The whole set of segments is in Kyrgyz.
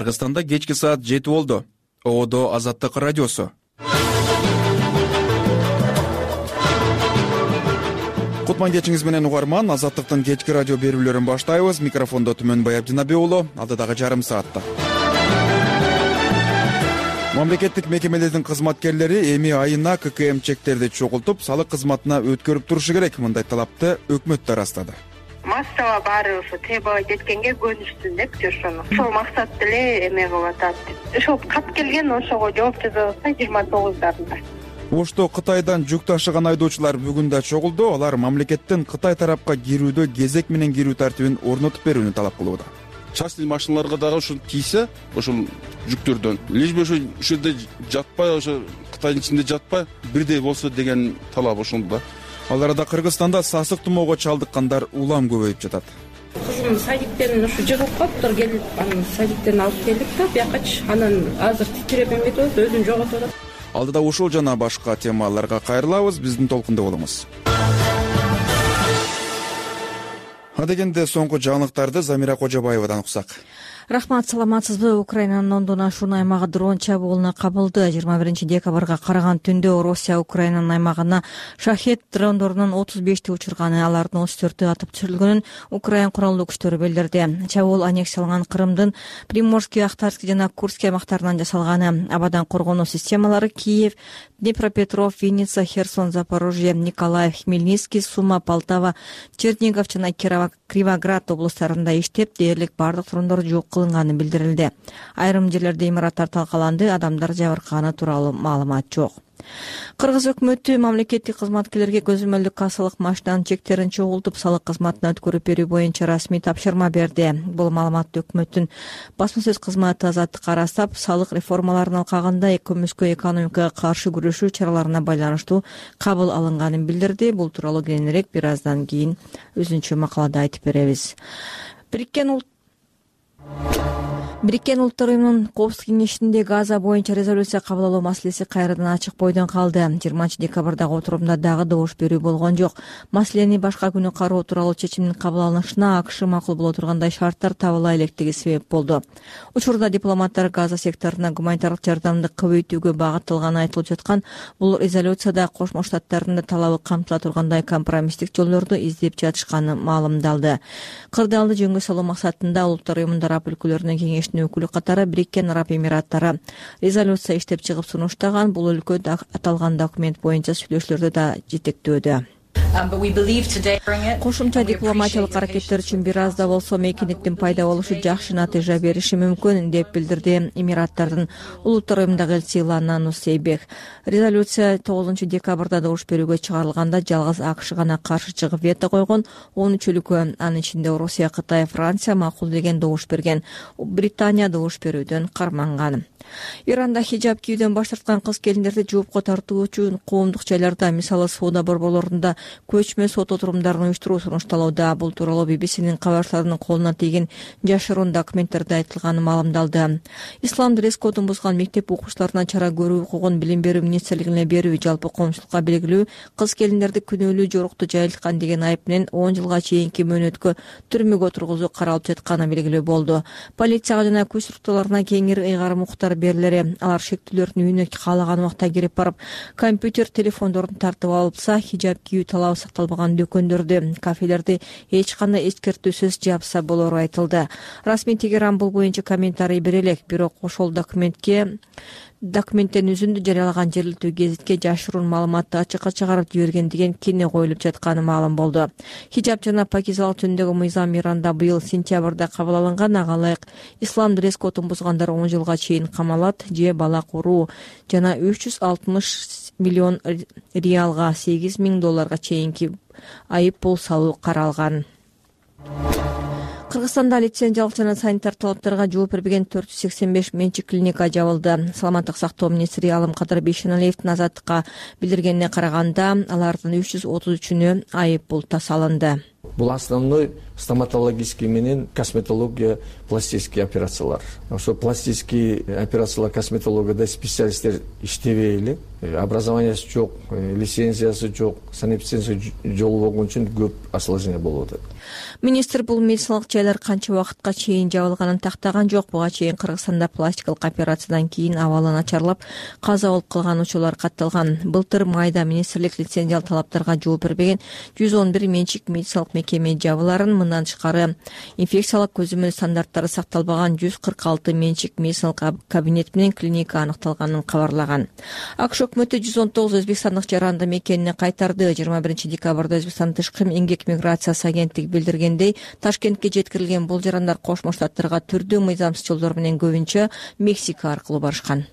Кыргызстанда кечки саат 7 болду. ООД Азаттык радиосу. Кутман кечиңиз менен угарман. Азаттыктын кечки радио берүүлөрүн баштайбыз. Микрофондо Түмөнбай Абдинабек уулу. Алдыдагы жарым саатта мамлекеттик мекемелердин кызматкерлери эми айына ККМ чектерди чогултуп, салык кызматына өткөрүп турушу керек. Мындай талапты өкмөт да ырастады. Массава баары ошо требовать эткенге көнүштү деп ошону. Ошол максат деле эме кылып атат. Ошол кат келген, ошого жооп жаза алса 29дарында. Ошто Кытайдан жүк ташыган айдоочулар бүгүн да чогулду. Алар мамлекеттин Кытай тарапка кирүүдө кезек менен кирүү тартибин орнотуп берүүнү талап кылууда. Частный машиналарга дагы ушул тийсе, ошол жүктөрдөн лишь бы ошо жерде жатпай, ошо Кытайдын ичинде жатпай, бирдей болсо деген талап ошол да. Ал арада Кыргызстанда сасык тумоого чалдыккандар улам көбөйүп жатат. Кызым садиктен ушу жыгылып калыптыр, келип анан садиктен алып келдик да, биякачы анан азыр титиреп эметип атат, өзүн жоготуп атат. Алдыда ушул жана башка темаларга кайрылабыз, биздин толкунда болуңуз. Адегенде соңку жаңылыктарды Замира Кожобаевадан уксак. Рахмат, саламатсызбы? Украинанын ондон ашуун аймагы дрон чабуулуна кабылды. 21 декабрга караган түндө Россия Украинанын аймагына шахет дрондорунун 35ти учурганы, алардын 34-ü атып түшүрүлгөнүн Украин куралдуу күчтөрү билдирди. Чабуул аннексияланган Крымдын Приморский, Ахтарский жана Курский аймактарынан жасалганы. Абадан коргонуу системалары Киев, Днепропетров, Винница, Херсон, Запорожье, Николаев, Хмельницкий, Сума, Полтава, Чернигов жана Кривоград облустарында иштеп, дээрлик бардык дрондор жок кылынганы билдирилди. Айрым жерлерде имараттар талкаланды, адамдар жабыркаганы тууралуу маалымат жок. Кыргыз өкмөтү мамлекеттик кызматкерлерге көзөмөлдүк кассалык машинанын чектерин чогултуп, салык кызматына өткөрүп берүү боюнча расмий тапшырма берди. Бул маалыматты өкмөттүн басма сөз кызматы Азаттыкка ырастап, салык реформаларынын алкагында көмүскө экономикага каршы күрөшүү чараларына байланыштуу кабыл алынганын билдирди. Бул тууралуу кийинирээк бир аздан кийин өзүнчө макалада айтып беребиз. Бириккен Улуттар Уюмунун Коопсуздук кеңешинде Газа боюнча резолюция кабыл алуу маселеси кайрадан ачык бойдон калды. 20 декабрдагы отурумда дагы добуш берүү болгон жок. Маселени башка күнү кароо тууралуу чечимдин кабыл алынышына АКШ макул боло тургандай шарттар табыла электиги себеп болду. Учурда дипломаттар Газа секторуна гуманитардык жардамды көбөйтүүгө багытталганы айтылып жаткан бул резолюцияда Кошмо Штаттардын талабы камтыла тургандай компромисстик жолдорду издеп жатышканы маалымдалды. Кырдаалды жөнгө салуу максатында Улуттар Уюмунун араб өлкөлөрүнүн кеңешинин өкүлү катары Бириккен Араб Эмираттары резолюция иштеп чыгып сунуштаган. Бул өлкө аталган документ боюнча сүйлөшүүлөрдү да жетектөөдө. Кошумча дипломатиялык аракеттер үчүн бир аз да болсо мейкиндиктин пайда болушу жакшы натыйжа бериши мүмкүн деп билдирди Эмираттардын Улуттар Уюмундагы элчиси Лана Нусейбек. Резолюция 9 декабрда добуш берүүгө чыгарылганда жалгыз АКШ гана каршы чыгып вето койгон. 13 өлкө, анын ичинде Россия, Кытай, Франция макулдеген добуш берген. Британия добуш берүүдөн карманган. Иранда хижаб кийүүдөн баш тарткан кыз келиндерди жоопко тартуу үчүн коомдук жайларда, мисалы соода борборлорунда көчмө сот отурумдарын уюштуруу сунушталууда. Бул тууралуу BBC-нин кабарчыларынын колуна тийген жашыруун документтерде айтылганы маалымдалды. Ислам дресс-кодун бузган мектеп окуучуларына чара көрүү укугун Билим берүү министрлигине берүү, жалпы коомчулукка белгилүү кыз келиндерди күнөөлүү жорукту жайылткан деген айып менен 10 жылга чейинки мөөнөткө түрмөгө тургузуу каралып жатканы белгилүү болду. Полицияга жана күч структураларына кеңири ыйгарым укуктар берилери. Алар шектүүлөрдүн үйүнө каалаган убакта кирип барып, компьютер, телефондорун тартып алса, хижаб кийүү талабы сакталбаган дүкөндөрдү, кафелерди эч кандай эскертүүсүз жапса болору айтылды. Расмий Тегеран бул боюнча комментарий бере элек, бирок ошол документтен үзүндү жарыялаган жергиликтүү гезитке жашыруун маалыматты ачыкка чыгарып жиберген деген кине коюлуп жатканы маалым болду. Хижаб жана пакизалык жөнүндөгү мыйзам Иранда быйыл сентябрда кабыл алынган. Ага ылайык ислам дресс-кодун бузгандар 10 жылга чейин камалат же бала куруу жана 360 миллион реалга $8,000 чейинки айып пул салуу каралган. Кыргызстанда лицензиялык жана санитар талаптарга жооп бербеген 485 менчик клиника жабылды. Саламаттык сактоо министри Алымкадыр Бейшеналиевдин Азаттыкка билдиргенине караганда, алардын 333-үнө айып пул салынды. Бул основной стоматологический менен косметология, пластический операциялар. Ошо пластический операциялар, косметологияда специалисттер иштебей эле, образованиясы жок, лицензиясы жок, санэпидемия жолу болгон үчүн көп осложнение болуп атат. Министр бул медициналык жайлар канча убакытка чейин жабылганын тактаган жок. Буга чейин Кыргызстанда пластикалык операциядан кийин абалы начарлап каза болуп калган учурлар катталган. Былтыр майда министрлик лицензиялык талаптарга жооп бербеген 111 менчик медициналык мекеме жабыларын, мындан тышкары инфекциялык көзөмөл стандарттары сакталбаган 146 менчик медициналык кабинет менен клиника аныкталганын кабарлаган. АКШ өкмөтү 119 өзбекстандык жаранды мекенине кайтарды. 21 декабрда Өзбекстан тышкы эмгек миграциясы агенттиги билдиргендей, Ташкентке жеткирилген бул жарандар Кошмо Штаттарга түрдүү мыйзамсыз жолдор менен көбүнчө Мексика аркылуу барышкан.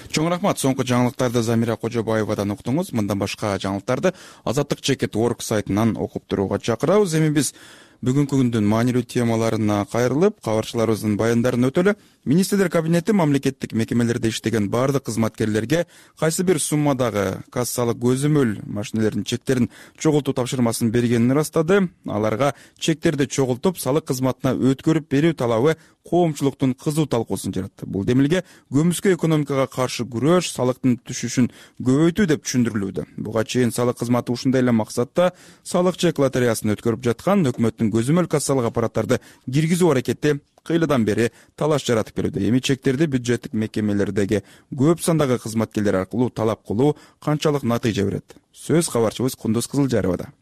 Чоң рахмат. Соңку жаңылыктарды Замира Кожобаевадан уктуңуз. Мындан башка жаңылыктарды Азаттык.org сайтынан окуп турууга чакырабыз. Эми биз бүгүнкү күндүн маанилүү темаларына кайрылып, кабарчыларыбыздын баяндарын өтөлү. Министрлер кабинети мамлекеттик мекемелерде иштеген бардык кызматкерлерге кайсы бир суммадагы кассалык көзөмөл машиналердин чектерин чогултуу тапшырмасын бергенин ырастады. Аларга чектерди чогултуп, салык кызматына өткөрүп берүү талабы коомчулуктун кызуу талкуусун жаратты. Бул демилге көмүскө экономикага каршы күрөш, салыктын түшүшүн көбөйтүү деп түшүндүрүлүүдө. Буга чейин салык кызматы ушундай эле максатта салык чек лотереясын өткөрүп жаткан. Өкмөттүн көзөмөл кассалык аппараттарды киргизүү аракети кыйладан бери талаш жаратып келүүдө. Эми чектерди бюджеттик мекемелердеги көп сандагы кызматкерлер аркылуу талап кылуу канчалык натыйжа берет? Сөз кабарчыбыз Кундуз Кызылжаровада.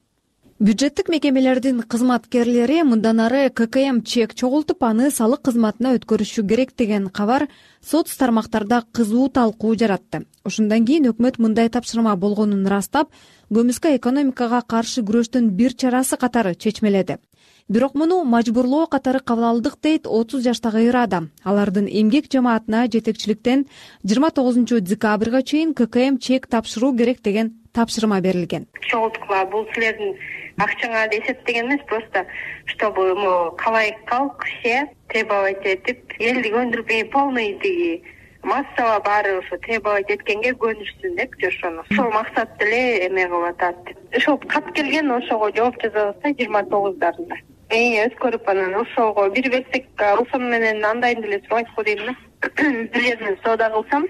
Бюджеттик мекемелердин кызматкерлери мындан ары ККМ чек чогултуп, аны салык кызматына өткөрүшү керек деген кабар соц тармактарда кызуу талкуу жаратты. Ошондон кийин өкмөт мындай тапшырма болгонун ырастап, көмүскө экономикага каршы күрөштүн бир чарасы катары чечмеледи. Бирок муну мажбурлоо катары кабыл алдык, дейт 30 жаштагы ыр адам. Алардын эмгек жамаатына жетекчиликтен 29 декабрга чейин ККМ чек тапшыруу керек деген тапшырма берилген. Чогулткула бул силердин акчаңа эсептеген эмес, просто чтобы калайык калк все требовать этип, элди көндүрбөй полный тиги массава баары ошо требовать эткенге көнүшсүн деп ошону. Ошол максатты эле эме кылып атат. Ошол кат келген, ошого жооп жазабыз да 29дарында. Өткөрүп анан ошого бир берсек, ошону менен андайын деле сурайт го дейм да. Билерин соода кылсам,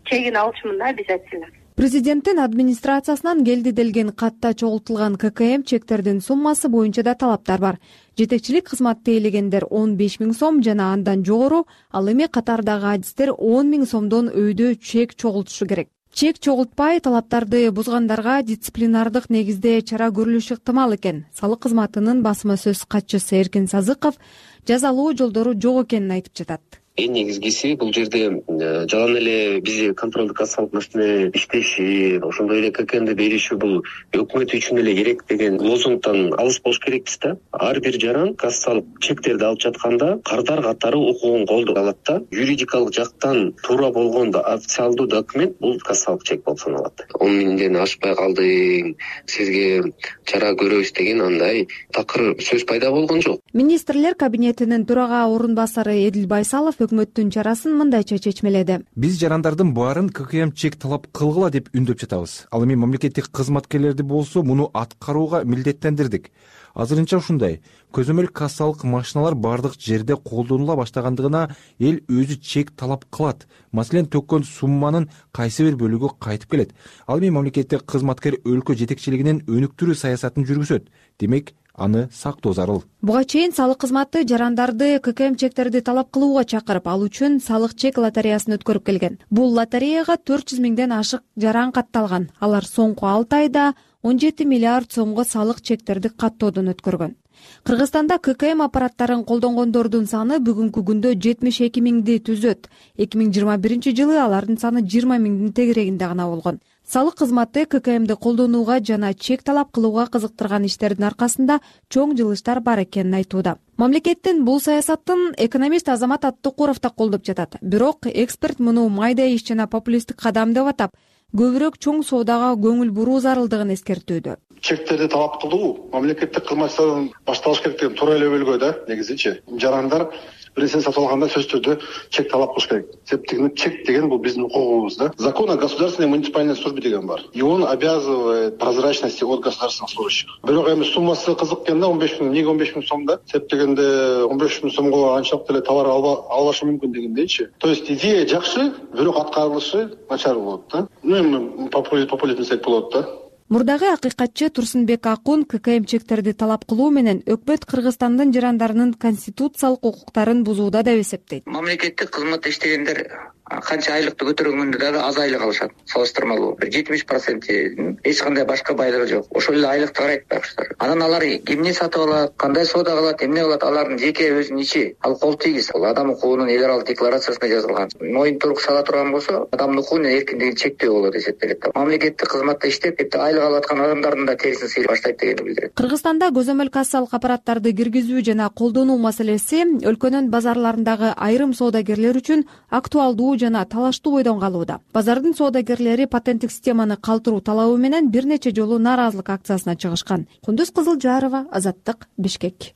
чегин алышмын да обязательно. Президенттин администрациясынан келди делген катта чогултулган ККМ чектердин суммасы боюнча да талаптар бар. Жетекчилик кызматты ээлегендер 15 000 сом жана андан жогору, ал эми катардагы адистер 10 000 сомдон өйдө чек чогултушу керек. Чек чогултпай талаптарды бузгандарга дисциплинардык негизде чара көрүлүшү ыктымал экен. Салык кызматынын басма сөз катчысы Эркин Сазыков жазалуу жолдору жок экенин айтып жатат. Эң негизгиси бул жерде жалаң эле бизде контролдук кассалык машина иштеши, ошондой эле ККМди бериши бул өкмөт үчүн эле керек деген лозунгтан алыс болуш керекпиз да. Ар бир жаран кассалык чектерди алып жатканда кардар катары укугун колдоп алат да. Юридикалык жактан туура болгон официалдуу документ бул кассалык чек болуп саналат. 10 000ден ашпай калдың, сизге чара көрөбүз деген андай такыр сөз пайда болгон жок. Министрлер кабинетинин төрага орун басары Эдил Байсалов өкмөттүн чарасын мындайча чечмеледи. Биз жарандардын баарын ККМ чек талап кылгыла деп үндөп жатабыз. Ал эми мамлекеттик кызматкерлерди болсо муну аткарууга милдеттендирдик. Азырынча ушундай көзөмөл кассалык машиналар бардык жерде колдонула баштагандыгына эл өзү чек талап кылат. Маселен, төккөн сумманын кайсы бир бөлүгү кайтып келет. Ал эми мамлекеттик кызматкер өлкө жетекчилигинин өнүктүрүү саясатын жүргүзөт. Демек, аны сактоо зарыл. Буга чейин салык кызматы жарандарды ККМ чектерди талап кылууга чакырып, ал үчүн салык чек лотереясын өткөрүп келген. Бул лотереяга 400 000ден ашык жаран катталган. Алар соңку 6 айда 17 миллиард сомго салык чектерди каттоодон өткөргөн. Кыргызстанда ККМ аппараттарын колдонгондордун саны бүгүнкү күндө 72 000ди түзөт. 2021 жылы алардын саны 20 000дин тегерегинде гана болгон. Салык кызматы ККМди колдонууга жана чек талап кылууга кызыктырган иштердин аркасында чоң жылыштар бар экенин айтууда. Мамлекеттин бул саясатын экономист Азамат Аттыкуров да колдоп жатат. Бирок эксперт муну майда иш жана популисттик кадам деп атап, көбүрөөк чоң соодага көңүл буруу зарылдыгын эскертүүдө. Чектерди талап кылуу мамлекеттик кызматчылардан башталыш керек деген туура эле өлгө да, негизичи. Жарандар бир нерсени сатып алганда сөзсүз түрдө чек талап кылыш керек. Себеби чек деген бул биздин укугубуз да. Закон о государственной муниципальной службе деген бар. И он обязывает прозрачности от государственных служащих. Бирок эми суммасы кызык экен да, 15 миң, эмнеге 15 миң сом да? Себеби дегенде 15 миң сомго анчалык деле товар албашы мүмкүн дегендейчи. То есть идея жакшы, бирок аткарылышы начар болот да. Эми популизм десек болот да. Мурдагы акыйкатчы Турсунбек Акун ККМ чектерди талап кылуу менен өкмөт Кыргызстандын жарандарынын конституциялык укуктарын бузууда деп эсептейт. Мамлекеттик кызматта иштегендер канча айлыкты көтөргөндө дагы аз айлык алышат. Салыштырмалуу 70% эч кандай башка байлыгы жок. Ошол эле айлыкты карайт башкалар. Анан алар эмне сатып алат, кандай соода кылат, эмне кылат, алардын жеке өзүнүн ичи. Ал кол тийгиз. Ал адам укугунун эл аралык декларациясында жазылган. Мониторинг сала турган болсо, адамдын укугунун эркиндигин чектөө болот деп эсептелет. Мамлекеттик кызматта иштеп, айлык алып аткан адамдардын да терисин сыйлап баштайт дегенди билдирет. Кыргызстанда көзөмөл кассалык аппараттарды киргизүү жана колдонуу маселеси өлкөнүн базарларындагы айрым соодагерлер үчүн актуалдуу жана талаштуу бойдон калууда. Базардын соодагерлери патенттик системаны калтыруу талабы менен бир нече жолу нааразылык акциясына чыгышкан. Кундуз Кызылжарова, Азаттык, Бишкек.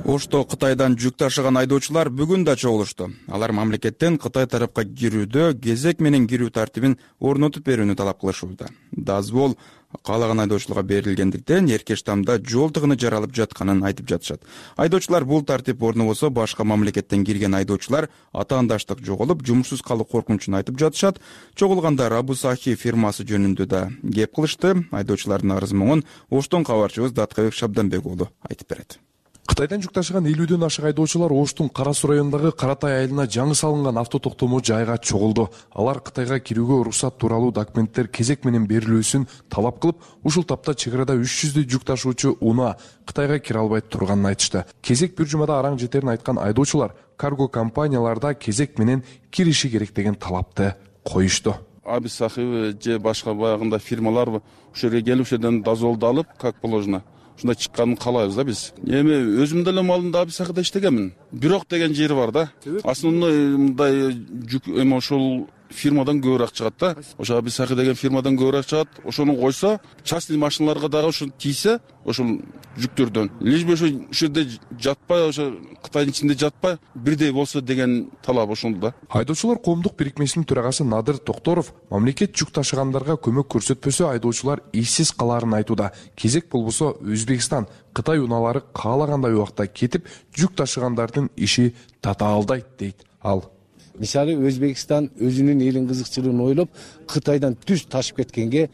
Ошто Кытайдан жүк ташыган айдоочулар бүгүн да чогулушту. Алар мамлекеттен Кытай тарапка кирүүдө кезек менен кирүү тартибин орнотуп берүүнү талап кылышууда. Дазвол каалаган айдоочуларга берилгендиктен эрке штамда жол тыгыны жаралып жатканын айтып жатышат. Айдоочулар бул тартип орнобосо башка мамлекеттен кирген айдоочулар атаандаштык жоголуп, жумушсуз калуу коркунучун айтып жатышат. Чогулгандар Абусахи фирмасы жөнүндө да кеп кылышты. Айдоочулардын арыз муңун Оштон кабарчыбыз Даткабек Шабданбек уулу айтып берет. Кытайдан жүк ташыган 50дөн ашык айдоочулар Оштун Кара Суу районундагы Каратай айылына жаңы салынган автотоктомо жайга чогулду. Алар Кытайга кирүүгө уруксат тууралуу документтер кезек менен берилүүсүн талап кылып, ушул тапта чек арада 300 жүк ташуучу унаа Кытайга кире албай турганын айтышты. Кезек бир жумада араң жетерин айткан айдоочулар карго компанияларда кезек менен кириши керек деген талапты коюшту. Абусахи же башка баягында фирмалар ошол жерге келип, ошол жерден дозволду алып, как положено ушундай чыкканын каалайбыз да биз. Эми өзүм деле малында Абусахида иштегенмин. Бирок деген жери бар да. Основной мындай жүк эми ошол фирмадан көбүрөөк чыгат да. Ошо Абусахи деген фирмадан көбүрөөк чыгат. Ошону койсо, частный машиналарга дагы ошо тийсе, ошол жүктөрдөн лишь бы ошо жерде жатпай, ошо Кытайдын ичинде жатпай, бирдей болсо деген талап ошол да. Айдоочулар коомдук бирикмесинин төрагасы Надыр Токторов мамлекет жүк ташыгандарга көмөк көрсөтпөсө айдоочулар ийсиз калаарын айтууда. Кезек болбосо Өзбекстан, Кытай унаалары каалагандай убакта кетип, жүк ташыгандардын иши татаалдайт дейт ал. Мисалы Өзбекстан өзүнүн элин кызыкчылыгын ойлоп, Кытайдан түз ташып кеткенге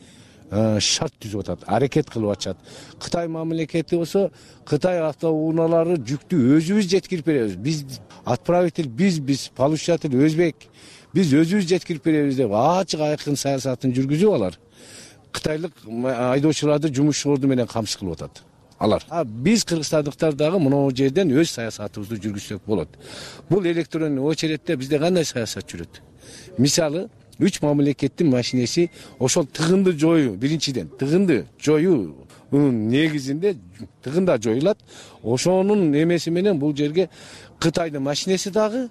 шарт түзүп атат, аракет кылып атышат. Кытай мамлекети болсо, Кытай автоунаалары жүктү өзүбүз жеткирип беребиз. Биз отправитель, биз получатель өзбек. Биз өзүбүз жеткирип беребиз деп ачык айкын саясатын жүргүзүп алар. Кытайлык айдоочуларды жумуш орду менен камсыз кылып атат. Алар. Биз кыргызстандыктар дагы мына жерден өз саясатыбызды жүргүзсөк болот. Бул электронный очередте бизде кандай саясат жүрөт? Мисалы, 3 мамлекеттин машинеси ошол тыгынды жоюу, биринчиден тыгынды жоюу негизинде тыгында жоюлат. Ошонун эмеси менен бул жерге Кытайдын машинеси дагы,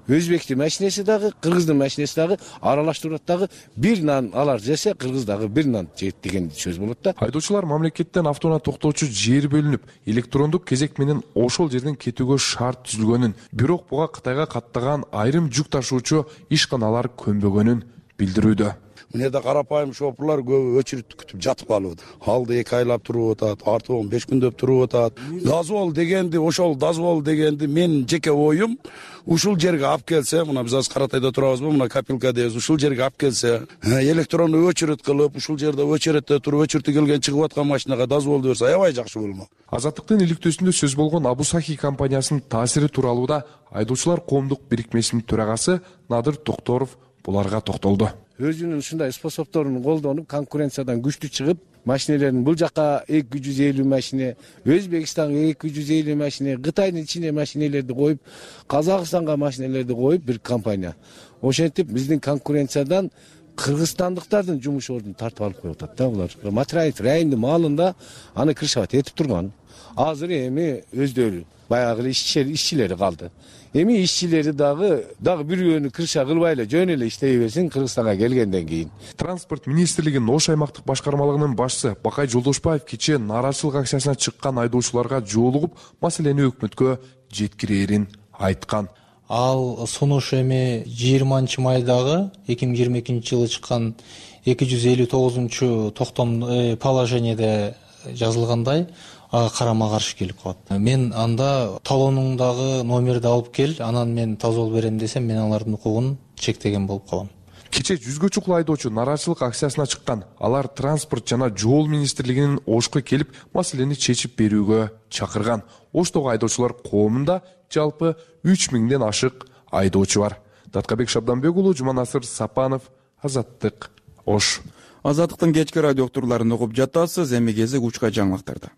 Өзбектин машинеси дагы, Кыргыздын машинеси дагы аралаштырып дагы бир нан алар жесе, Кыргыз дагы бир нан жейт деген сөз болот да. Айдоочулар мамлекеттен автоунаа токтоочу жер бөлүнүп, электрондук кезек менен ошол жерден кетүүгө шарт түзүлгөнүн, бирок буга Кытайга каттаган айрым жүк ташуучу ишканалар көнбөгөнүн билдирүүдө. Мына жерде карапайым шопурлар көбү очередти күтүп жатып калып атат. Алды 2 айлап туруп атат, арты 15 күндөп туруп атат. Дозвол дегенди, ошол дозвол дегенди мен жеке оюм ушул жерге алып келсе, мына биз азыр Каратайда турабызбы, мына Капилка дейбиз, ушул жерге алып келсе, электрондуу очеред кылып, ушул жерде очередте туруп, очередте келген чыгып аткан машинага дозволду берсе, аябай жакшы болмок. Азаттыктын иликтөөсүндө сөз болгон Абусахи компаниясынын таасири тууралуу да айдоочулар коомдук бирикмесинин төрагасы Надыр Токторов буларга токтолду. Өзүнүн ушундай способдорун колдонуп, конкуренциядан күчтүү чыгып, машинелерин бул жака 250 машине, Өзбекстанга 250 машине, Кытайдын ичине машинелерди коюп, Казакстанга машинелерди коюп бир компания. Ошентип биздин конкуренциядан кыргызстандыктардын жумуш ордун тартып алып коюп атат да булар. Материалдык райондун маалында аны крышевать этип турган. Азыр эми өздөрү баягы ишчилери калды. Эми ишчилери дагы бирөөнү крыша кылбай эле жөн эле иштей берсин Кыргызстанга келгенден кийин. Транспорт министрлигинин Ош аймактык башкармалыгынын башчысы Бакай Жолдошбаев кечээ нааразычылык акциясына чыккан айдоочуларга жолугуп, маселени өкмөткө жеткирээрин айткан. Ал сунуш эми 20-майдагы 2022-жылы чыккан 259 токтом положениеде жазылгандай карама каршы келип калат. Мен анда талонуңдагы номерди алып кел, анан мен таза жол берем десем, мен алардын укугун чектеген болуп калам. Кечээ 100гө чукул айдоочу нааразычылык акциясына чыккан. Алар транспорт жана жол министрлигинин Ошко келип, маселени чечип берүүгө чакырган. Оштогу айдоочулар коомунда жалпы 3000ден ашык айдоочу бар. Даткабек Шабданбек уулу, Жуманасыр Сапанов, Азаттык, Ош. Азаттыктын кечки радио уктурууларын угуп жатасыз. Эми кезек учка жаңылыктарда.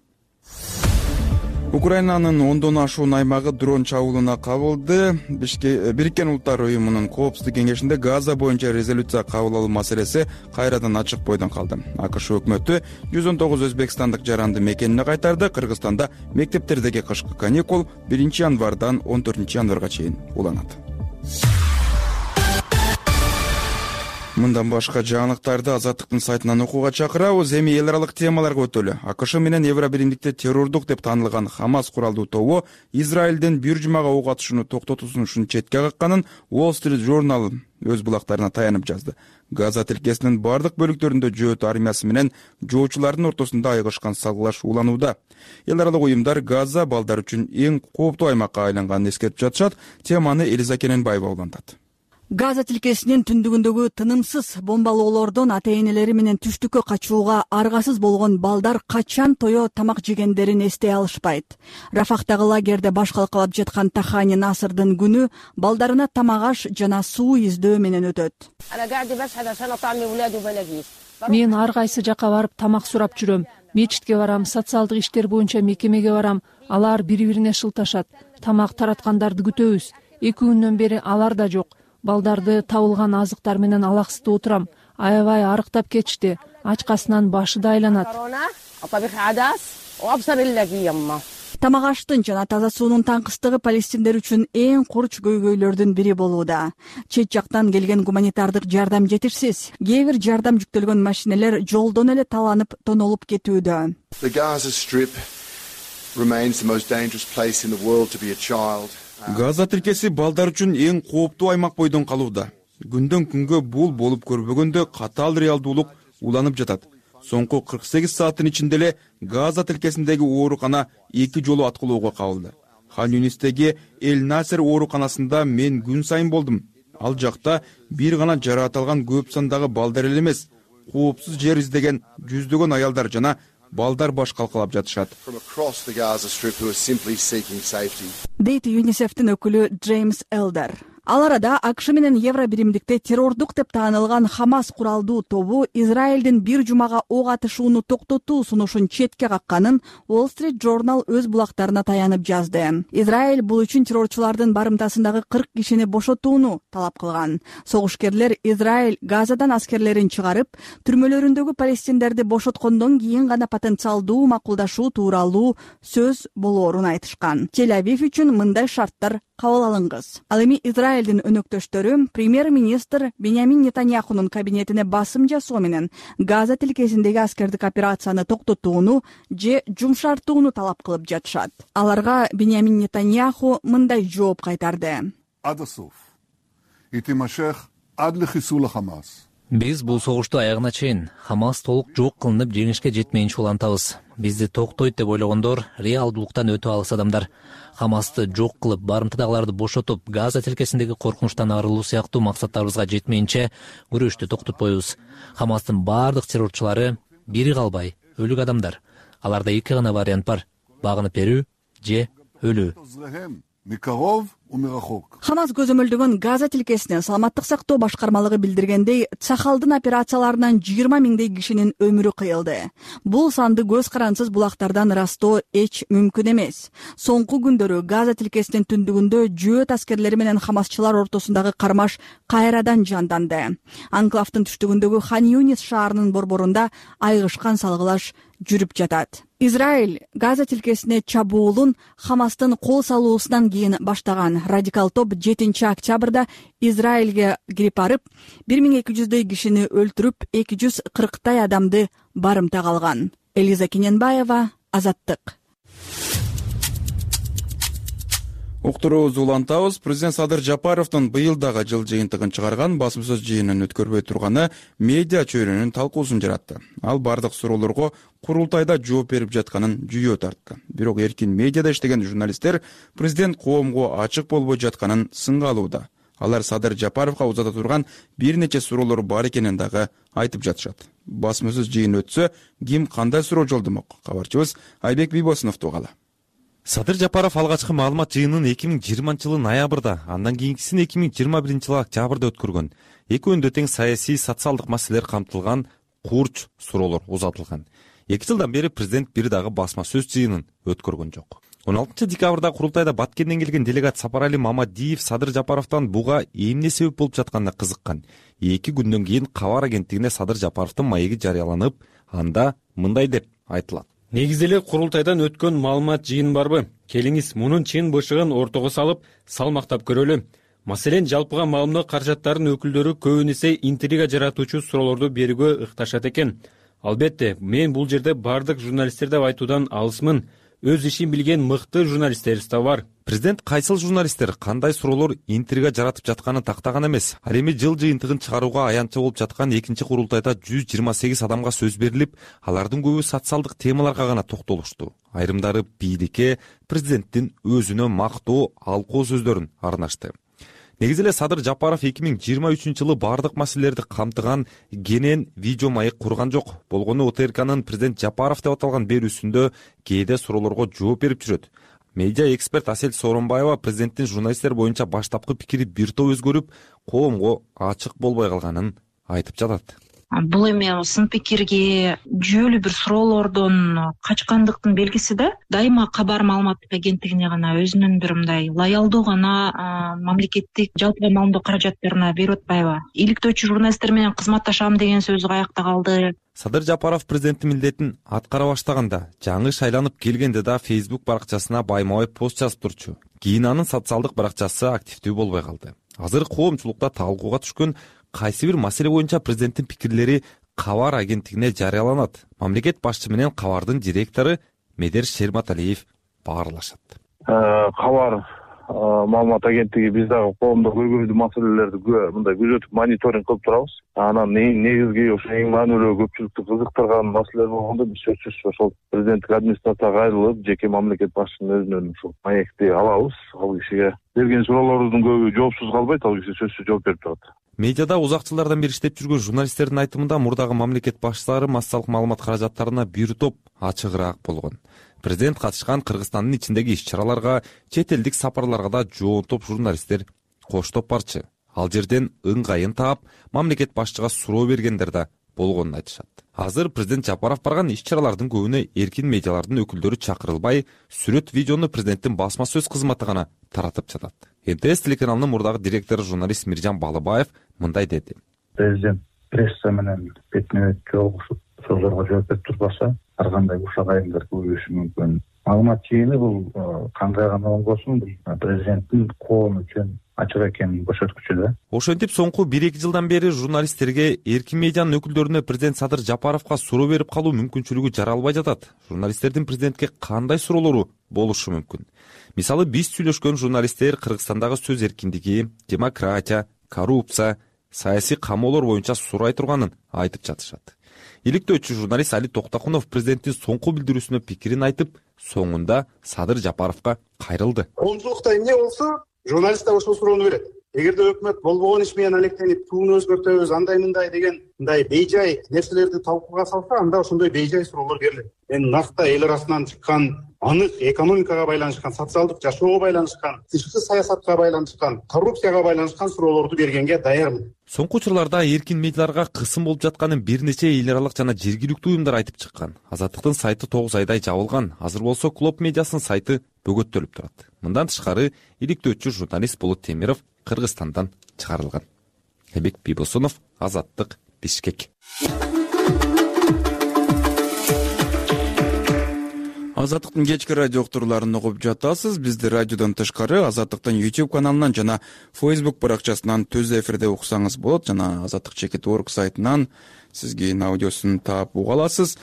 Украинанын 10дон ашуун аймагы дрон чабуулуна кабылды. Бириккен Улуттар уюмунун коопсуздук кеңешинде Газа боюнча резолюция кабыл алуу маселеси кайрадан ачык бойдон калды. АКШ өкмөтү 119 өзбекстандык жаранды мекенине кайтарды. Кыргызстанда мектептердеги кышкы каникул 1-январдан 14-январга чейин уланат. Мындан башка жаңылыктарды Азаттыктын сайтынан окууга чакырабыз. Эми эл аралык темаларга өтөлү. АКШ менен Евро биримдикте террордук деп таанылган Хамас куралдуу тобу Израилдин бир жумага ок атышууну токтотуусун четке какканын Wall Street Journal өз булактарына таянып жазды. Газа тилкесинин бардык бөлүктөрүндө жөөт армиясы менен жоочулардын ортосунда айгышкан салгылаш уланууда. Эл аралык уюмдар Газа балдар үчүн эң кооптуу аймакка айланганын эскертип жатышат. Теманы Элиза Кененбаева улантат. Газа тилкесинин түндүгүндөгү тынымсыз бомбалоолордон ата-энелери менен түштүккө качууга аргасыз болгон балдар качан тое тамак жегендерин эстей алышпайт. Рафахтагы лагерде баш калкалап жаткан Тахани Насырдын күнү балдарына тамак аш жана суу издөө менен өтөт. Мен ар кайсы жака барып тамак сурап жүрөм. Мечитке барам, социалдык иштер боюнча мекемеге барам. Алар бири-бирине шылташат. Тамак тараткандарды күтөбүз. 2 күндөн бери алар да жок. Балдарды табылган азыктар менен алаксытып отурам. Аябай арыктап кетишти. Ачкасынан башы да айланат. Тамак аштын жана таза суунун таңкыстыгы палестиндер үчүн эң курч көйгөйлөрдүн бири болууда. Чет жактан келген гуманитардык жардам жетишсиз. Кээ бир жардам жүктөлгөн машинелер жолдон эле таланып, тонолуп кетүүдө. The Gaza Strip remains the most dangerous place in the world to be a child. Газа тилкеси балдар үчүн эң кооптуу аймак бойдон калууда. Күндөн күнгө бул болуп көрбөгөндө катаал реалдуулук уланып жатат. Соңку 48 сааттын ичинде эле Газа тилкесиндеги оорукана 2 жолу аткылоого кабылды. Хан Юнистеги Эль Насер ооруканасында мен күн сайын болдум. Ал жакта бир гана жараат алган көп сандагы балдар эле эмес, коопсуз жер издеген жүздөгөн аялдар жана балдар баш калкалап жатышат. Дейт ЮНИСЕФтин өкүлү Джеймс Элдер. Ал арада АКШ менен Евро биримдикте террордук деп таанылган Хамас куралдуу тобу Израилдин бир жумага ок атышууну токтотуу сунушун четке какканын Wall Street Journal өз булактарына таянып жазды. Израиль бул үчүн террорчулардын барымтасындагы 40 кишини бошотууну талап кылган. Согушкерлер Израиль Газадан аскерлерин чыгарып, түрмөлөрүндөгү палестиндерди бошоткондон кийин гана потенциалдуу макулдашуу тууралуу сөз болоорун айтышкан. Тель-Авив үчүн мындай шарттар кабыл алынгыз. Ал эми Израилдин өнөктөштөрү премьер-министр Беньямин Нетаньяхунун кабинетине басым жасоо менен Газа тилкесиндеги аскердик операцияны токтотууну же жумшартууну талап кылып жатышат. Аларга Беньямин Нетаньяху мындай жооп кайтарды. Биз бул согушту аягына чейин Хамас толук жок кылынып жеңишке жетмейинче улантабыз. Бизди токтойт деп ойлогондор реалдуулуктан өтө алыс адамдар. Хамасты жок кылып, барымтадагыларды бошотуп, Газа тилкесиндеги коркунучтан арылуу сыяктуу максаттарыбызга жетмейинче күрөштү токтотпойбуз. Хамастын бардык террорчулары бири калбай өлүк адамдар. Аларда 2 гана вариант бар: багынып берүү же өлүү. Хамас көзөмөлдөгөн Газа тилкесинин саламаттык сактоо башкармалыгы билдиргендей, Цахалдын операцияларынан 20 миңдей кишинин өмүрү кыйылды. Бул санды көз карансыз булактардан ырастоо эч мүмкүн эмес. Соңку күндөрү Газа тилкесинин түндүгүндө жөөт аскерлери менен хамасчылар ортосундагы кармаш кайрадан жанданды. Анклавдын түштүгүндөгү Хан Юнис шаарынын борборунда айгышкан салгылаш жүрүп жатат. Израиль Газа тилкесине чабуулун Хамастын кол салуусунан кийин баштаган. Радикал топ 7 октябрда Израилге кирип барып, 1200дөй кишини өлтүрүп, 240 адамды барымтага алган. Элиза Кененбаева, Азаттык. Уктуруубузду улантабыз. Президент Садыр Жапаровдун быйыл дагы жыл жыйынтыгын чыгарган басма сөз жыйынын өткөрбөй турганы медиа чөйрөнүн талкуусун жаратты. Ал бардык суроолорго курултайда жооп берип жатканын жүйө тарткан. Бирок эркин медиада иштеген журналисттер президент коомго ачык болбой жатканын сынга алууда. Алар Садыр Жапаровго узата турган бир нече суроолор бар экенин дагы айтып жатышат. Басма сөз жыйын өтсө, ким кандай суроо жолдомок? Кабарчыбыз Айбек Бийбосуновду угалы. Садыр Жапаров алгачкы маалымат жыйынын 2020-жылы ноябрда, андан кийинкисин 2021-жылы октябрда өткөргөн. Экөөнүндө тең саясий, социалдык маселелер камтылган курч суроолор узатылган. 2 жылдан бери президент бир дагы басма сөз жыйынын өткөргөн жок. 16 декабрда курултайда Баткенден келген делегат Сапарали Мамадиев Садыр Жапаровдон буга эмне себеп болуп жатканына кызыккан. 2 күндөн кийин кабар агенттигине Садыр Жапаровдун маеги жарыяланып, анда мындай деп айтылат. Негизи эле курултайдан өткөн маалымат жыйын барбы? Келиңиз мунун чын бышыгын ортого салып, салмактап көрөлү. Маселен, жалпыга маалымат каражаттарынын өкүлдөрү көбүн эсе интрига жаратуучу суроолорду берүүгө ыкташат экен. Албетте, мен бул жерде бардык журналисттер деп айтуудан алысмын. Өз ишин билген мыкты журналисттерибиз да бар. Президент кайсыл журналисттер кандай суроолор интрига жаратып жатканын тактаган эмес. Ал эми жыл жыйынтыгын чыгарууга аянтча болуп жаткан 2-курултайда 128 адамга сөз берилип, алардын көбү социалдык темаларга гана токтолушту. Айрымдары бийликке, президенттин өзүнө мактоо, алкоо сөздөрүн арнашты. Негизи эле Садыр Жапаров 2023-жылы бардык маселелерди камтыган кенен видео маек курган жок. Болгону ОТРКнын президент Жапаров деп аталган берүүсүндө кээде суроолорго жооп берип жүрөт. Медиа эксперт Асель Сооронбаева президенттин журналисттер боюнча баштапкы пикири бир топ өзгөрүп, коомго ачык болбой калганын айтып жатат. Бул эми сын пикирге жүйөлүү бир суроолордон качкандыктын белгиси да. Дайыма кабар маалыматтык агенттигине гана өзүнүн бир мындай лоялдуу гана мамлекеттик жалпы маалымдоо каражаттарына берип атпайбы? Иликтөөчү журналисттер менен кызматташам деген сөзү каякта калды? Садыр Жапаров президенттин милдетин аткара баштаганда, жаңы шайланып келгенде да Facebook баракчасына байма-бай пост жазып турчу. Кийин анын социалдык баракчасы активдүү болбой калды. Азыр коомчулукта талкууга түшкөн кайсы бир маселе боюнча президенттин пикирлери кабар агенттигине жарыяланат. Мамлекет башчы менен кабардын директору Медер Шерматалиев баарлашат. Кабар маалымат агенттиги биз дагы коомдо көйгөйлүү маселелерди мындай күзөтүп мониторинг кылып турабыз. Анан негизги ошо эң маанилүү көпчүлүктү кызыктырган маселелер болгондо биз сөзсүз ошол президенттик администрацияга кайрылып, жеке мамлекет башчынын өзүнөн ушул маекти алабыз. Ал кишиге берген суроолордун көбү жоопсуз калбайт, ал киши сөзсүз жооп берип турат. Медиада узак жылдардан бери иштеп жүргөн журналисттердин айтымында мурдагы мамлекет башчылары массалык маалымат каражаттарына бир топ ачыгыраак болгон. Президент катышкан Кыргызстандын ичиндеги иш-чараларга, чет элдик сапарларга да жоонтоп журналисттер коштоп барчы. Ал жерден ыңгайын таап, мамлекет башчыга суроо бергендер да болгонун айтышат. Азыр президент Жапаров барган иш-чаралардын көбүнө эркин медиалардын өкүлдөрү чакырылбай, сүрөт видеону президенттин басма сөз кызматы гана таратып жатат. НТС телеканалынын мурдагы директору журналист Миржан Балыбаев мындай деди. Президент пресса менен бетме-бет жолугушуп, суроолорго жооп берип турбаса, ар кандай ушак айымдар көбөйүшү мүмкүн. Маалымат жыйыны бул кандай гана болбосун, бул президенттин коом үчүн ачык экенин көрсөткүчү да. Ошентип соңку 1-2 жылдан бери журналисттерге, эркин медианын өкүлдөрүнө президент Садыр Жапаровго суроо берип калуу мүмкүнчүлүгү жаралбай жатат. Журналисттердин президентке кандай суроолору болушу мүмкүн? Мисалы, биз сүйлөшкөн журналисттер Кыргызстандагы сөз эркиндиги, демократия, коррупция, саясий камоолор боюнча сурай турганын айтып жатышат. Иликтөөчү журналист Али Токтокунов президенттин соңку билдирүүсүнө пикирин айтып, соңунда Садыр Жапаровго кайрылды. Коомчулукта эмне болсо, журналист да ошол суроону берет. эгерде өкмөт болбогон иш менен алектенип тууну өзгөртөбүз андай мындай деген мындай бейжай нерселерди талкууга салса, анда ошондой бейжай суроолор берилет. Эми накта эл арасынан чыккан анык экономикага байланышкан, социалдык жашоого байланышкан, тышкы саясатка байланышкан, коррупцияга байланышкан суроолорду бергенге даярмын. Соңку учурларда эркин медиаларга кысым болуп жатканын бир нече эл аралык жана жергиликтүү уюмдар айтып чыккан. Азаттыктын сайты 9 айдай жабылган. Азыр болсо Клоп медиасынын сайты бөгөттөлүп турат. Мындан тышкары иликтөөчү журналист Болот Темиров Кыргызстандан чыгарылган. Эбек Бибосунов, Азаттык, Бишкек. Азаттыктын кечки радио уктурууларын угуп жатасыз. Бизди радиодон тышкары Азаттыктын YouTube каналынан жана Facebook баракчасынан түз эфирде уксаңыз болот, жана azattik.org сайтынан сизге аудиосун таап уга аласыз.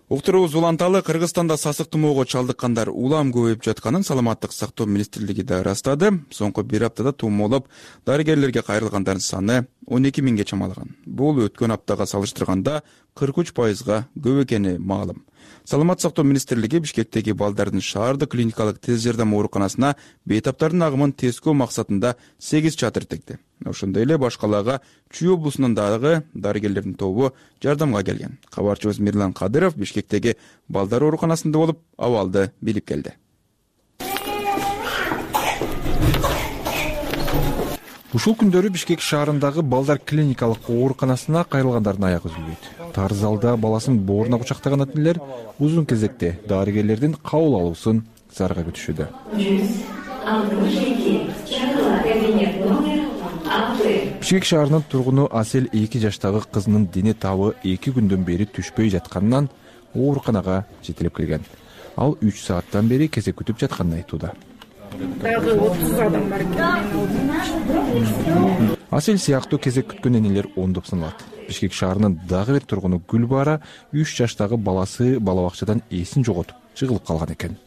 Уктуруубуз уланталы. Кыргызстанда сасык тумоого чалдыккандар улам көбөйүп жатканын Саламаттык сактоо министрлиги да ырастады. Соңку бир аптада тумоолоп дарыгерлерге кайрылгандардын саны 12 миңге чамалаган. Бул өткөн аптага салыштырганда 43% көп экени маалым. Саламаттык сактоо министрлиги Бишкектеги балдардын шаардык клиникалык тез жардам ооруканасына бейтаптардын агымын тескөө максатында 8 чатыр текти. Ошондой эле баш калаага Чүй облусунун дагы дарыгерлердин тобу жардамга келген. Кабарчыбыз Мирлан Кадыров Бишкектеги балдар ооруканасында болуп, абалды билип келди. Ушул күндөрү Бишкек шаарындагы балдар клиникалык ооруканасына кайрылгандардын аягы үзүлбөйт. Тар залда баласын бооруна кучактаган ателер узун кезекте дарыгерлердин кабыл алуусун зарга күтүшүүдө. Бишкек шаарынын тургуну Асел 2 жаштагы кызынын дене табы 2 күндөн бери түшпөй жатканынан ооруканага жетелеп келген. Ал 3 сааттан бери кезек күтүп жатканын айтууда. Дагы 30 адам бар экен. Асел сыяктуу кезек күткөн энелер ондоп саналат. Бишкек шаарынын дагы бир тургуну Гүлбара 3 жаштагы баласы бала бакчадан эсин жоготуп жыгылып калган экен.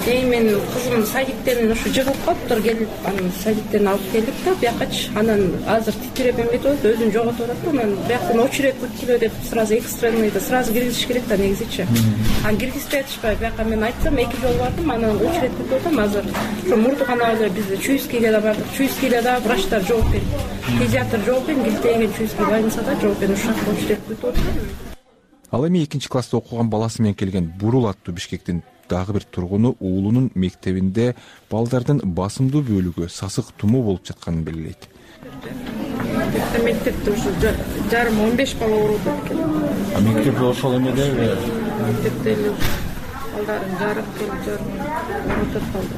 Менин кызым садиктен ушу жыгылып калыптыр, келип анан садиктен алып келдик да, бияка анан азыр титиреп эметип атат, өзүн жоготуп атат. Анан бияктан очередь күткүлө деп сразу экстренныйда сразу киргизиш керек да негизичи. Анан киргизбей атышпай, бияка мен айтсам 2 жолу бардым, анан очередь күтүп атам азыр. Ошо мурдуканабызда бизде Чуйскийге да бардык. Чуйскийде да врачтар жок экен. Педиатр жок экен, Гилтеген Чуйский больницада жок экен, ушак очередь күтүп атат. Ал эми 2-класста окуган баласы менен келген Бурул аттуу Бишкектин дагы бир тургуну уулунун мектебинде балдардын басымдуу бөлүгү сасык тумоо болуп жатканын белгилейт. Мектепте ушу жарым 15 бала ооруп экен. Мектепте ошол эмедеби? Мектепте балдарын жарым ооруп калды.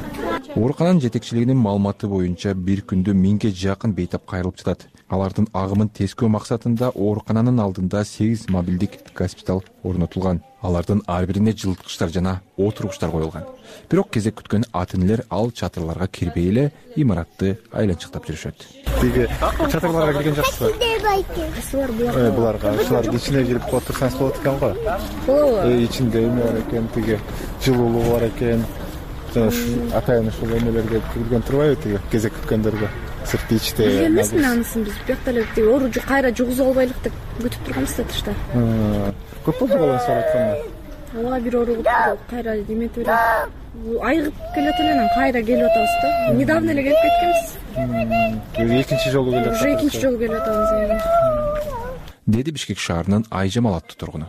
Оорукананын жетекчилигинин маалыматы боюнча бир күндө 1000ге жакын бейтап кайрылып жатат. Алардын агымын тескөө максатында оорукананын алдында 8 мобилдик госпиталь орнотулган. Алардын ар бирине жылыткычтар жана отургучтар коюлган. Бирок кезек күткөн ата-энелер ал чатырларга кирбей эле имаратты айланчыктап жүрүшөт. Тиги чатырларга кирген жакшысызбы? Буларга ушулардын ичине кирип отурсаңыз болот экен го. Болобу? Ичинде эме бар экен, тиги жылуулугу бар экен. Жана атайын ушул эмелерге кирген турбайбы тиги кезек күткөндөргө? Сыртты ичте. Эмесин анысын биз бияктан эле тиги ооружу кайра жугузуп албайлык деп күтүп турганбыз да тышта. Көп болду баланы соратканда. Ооба бир ооруп кайра эметип эле айыгып келет эле, анан кайра келип атабыз да. Недавно эле келип кеткенбиз. Экинчи жолу келип атабыз. Уже экинчи жолу келип атабыз. Деди Бишкек шаарынын Айжамал аттуу тургуну.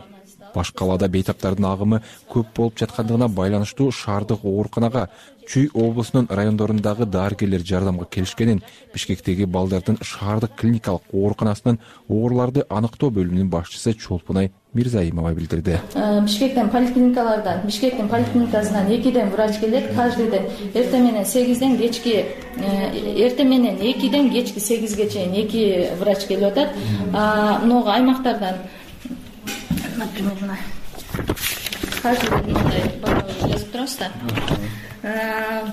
Баш калаада бейтаптардын агымы көп болуп жаткандыгына байланыштуу шаардык ооруканага Чүй облусунун райондорундагы дарыгерлер жардамга келишкенин Бишкектеги балдардын шаардык клиникалык ооруканасынын ооруларды аныктоо бөлүмүнүн башчысы Чолпунай Мирзаимова билдирди. Бишкектин поликлиникалардан, Бишкектин поликлиникасынан 2ден врач келет, каждый ден эртең менен 8ден кечки эртең менен 2ден кечки 8ге чейин 2 врач келип атат. Много аймактардан например, каждый ден мындай жазып турабыз да.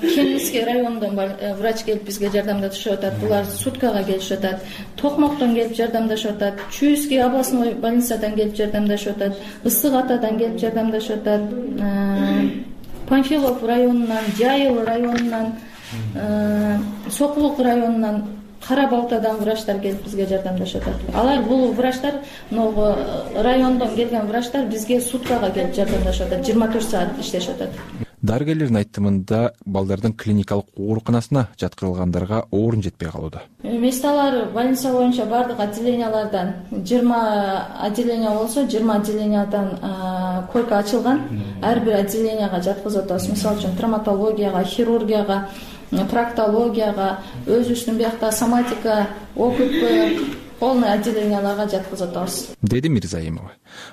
Кемиский районунан врач келип бизге жардамда түшүп атат. Булар суткага келишип атат. Токмоктон келип жардамдашып атат. Чуйский областной больницадан келип жардамдашып атат. Ысык атадан келип жардамдашып атат. Панфилов районунан, Жайыл районунан, Сокулук районунан, Кара Балтадан врачтар келип бизге жардамдашып атат. Алар бул врачтар, райондон келген врачтар бизге суткага келип жардамдашып атат. 24 саат иштешип атат. дарыгерлердин айтымында балдардын клиникалык ооруканасына жаткырылгандарга орун жетпей калууда. Месталар больница боюнча бардык отделениялардан 20 отделение болсо 20 отделениядан койка ачылган. Ар бир отделенияга жаткызып атабыз. Мисалы үчүн травматологияга, хирургияга, проктологияга, өзүбүздүн биякта соматика, ОКП полный отделенияларга жаткызып атабыз, деди Мирзаимова.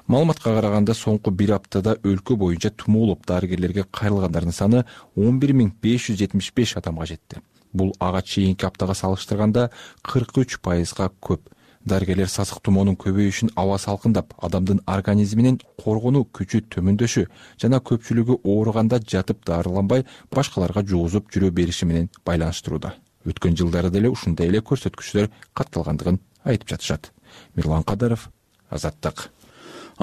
Маалыматка караганда соңку бир аптада өлкө боюнча тумоолоп дарыгерлерге кайрылгандардын саны 11.575 адамга жетти. Бул ага чейинки аптага салыштырганда 43%га көп. Дарыгерлер сасык тумоонун көбөйүшүн аба салкындап, адамдын организминин коргонуу күчү төмөндөшү жана көпчүлүгү ооруганда жатып дарыланбай башкаларга жугузуп жүрө бериши менен байланыштырууда. Өткөн жылдары деле ушундай эле көрсөткүчтөр катталгандыгын айтып жатышат. Мирлан Кадаров, Азаттык.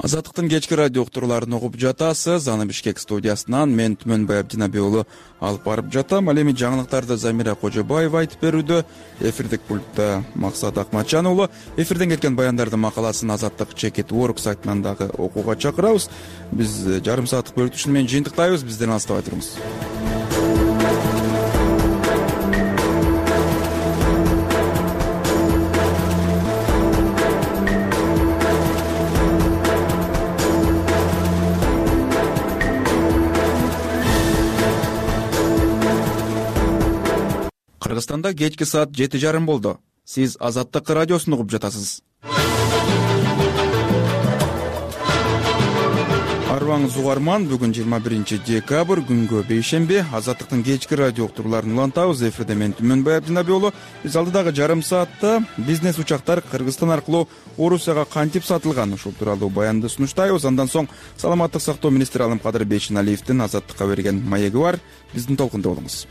Азаттыктын кечки радио уктурууларын угуп жатасыз. Аны Бишкек студиясынан мен Түмөнбай Абдинабек уулу алып барып жатам. Ал эми жаңылыктарды Замира Кожобаева айтып берүүдө. Эфирдик пультта Максат Акматжан уулу. Эфирден кеткен баяндардын макаласын Азаттык Чекит Work сайтынан дагы окууга чакырабыз. Биз жарым сааттык бөлүтүшүн менен жыйынтыктайбыз. Бизден алыстабай туруңуз. Кыргызстанда кечки саат 7:30 болду. Сиз Азаттык радиосун угуп жатасыз. Арбаңыз угарман, бүгүн 21 декабрь, күнгө бейшемби. Азаттыктын кечки радио уктурууларын улантабыз. Эфирде мен Түмөнбай Абдинабек уулу. Биз алдыдагы жарым саатта бизнес учактар Кыргызстан аркылуу Орусияга кантип сатылган, ушул тууралуу баянды сунуштайбыз. Андан соң Саламаттык сактоо министри Алымкадыр Бейшеналиевдин Азаттыкка берген маеги бар. Биздин толкунда болуңуз.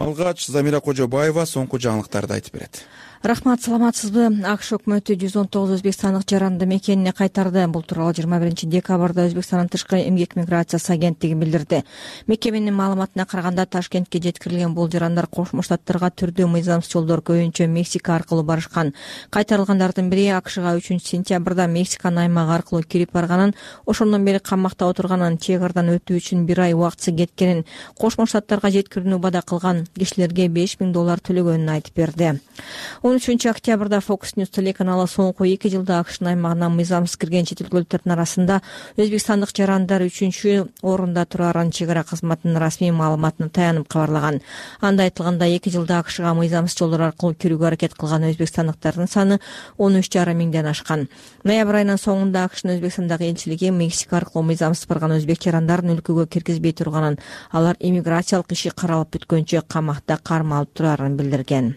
Алгач Замира Кожобаева соңку жаңылыктарды айтып берет. Рахмат, саламатсызбы? АКШ өкмөтү 119 өзбекстандык жаранды мекенине кайтарды. Бул тууралуу 21 декабрда Өзбекстандын тышкы эмгек миграциясы агенттиги билдирди. Мекеменин маалыматына караганда Ташкентке жеткирилген бул жарандар Кошмо Штаттарга түрдүү мыйзамсыз жолдор көбүнчө Мексика аркылуу барышкан. Кайтарылгандардын бири АКШга 3-сентябрда Мексиканын аймагы аркылуу кирип барганын, ошондон бери камакта отурганын, чек ардан өтүү үчүн 1 ай убактысы кеткенин, Кошмо Штаттарга жеткирүүнү убада кылган, кишилерге $5,000 төлөгөнүн айтып берди. 13 октябрда Fox News телеканалы соңку 2 жылда АКШнын аймагына мыйзамсыз кирген чет өлкөлүктөрдүн арасында өзбекстандык жарандар 3-чү орунда турарын чек ара кызматынын расмий маалыматына таянып кабарлаган. Анда айтылганда 2 жылда АКШга мыйзамсыз жолдор аркылуу кирүүгө аракет кылган өзбекстандыктардын саны 13,5 миңден ашкан. Ноябрь айынын соңунда АКШнын Өзбекстандагы элчилиги Мексика аркылуу мыйзамсыз барган өзбек жарандарын өлкөгө киргизбей турганын, алар иммиграциялык иши каралып бүткөнчө камакта кармалып турарын билдирген.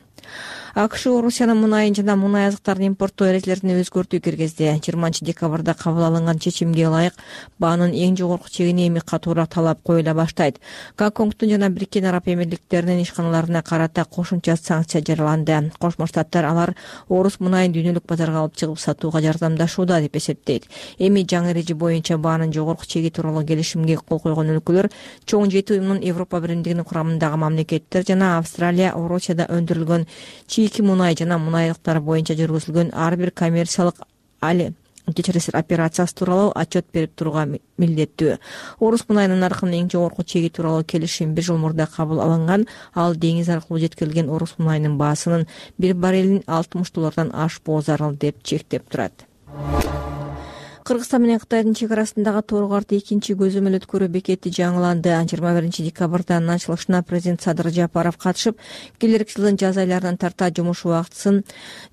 АКШ Орусиянын мунайын жана мунай азыктарын импорттоо эрежелерине өзгөртүү киргизди. 20 декабрда кабыл алынган чечимге ылайык баанын эң жогорку чегине эми катуураак талап коюла баштайт. Гонконгдун жана Бириккен Араб Эмирликтеринин ишканаларына карата кошумча санкция жарыяланды. Кошмо Штаттар алар орус мунайын дүйнөлүк базарга алып чыгып сатууга жардамдашууда деп эсептейт. Эми жаңы эреже боюнча баанын жогорку чеги тууралуу келишимге кол койгон өлкөлөр чоң 7 уюмдун Европа биримдигинин курамындагы мамлекеттер жана Австралия, Орусияда өндүрүлгөн чийки мунай жана мунайлыктар боюнча жүргүзүлгөн ар бир коммерциялык операциясы тууралуу отчет берип турууга милдеттүү. Орус мунайынын наркынын эң жогорку чеги тууралуу келишим 1 жыл мурда кабыл алынган. Ал деңиз аркылуу жеткирилген орус мунайынын баасынын 1 баррелин $60 ашпоо зарыл деп чектеп турат. Кыргызстан менен Кытайдын чек арасындагы Торгорт 2-чи көзөмөл өткөрүү бекети жаңыланды. 21 декабрда ачылышына президент Садыр Жапаров катышып, келерки жылдын жаз айларынан тарта жумуш убактысын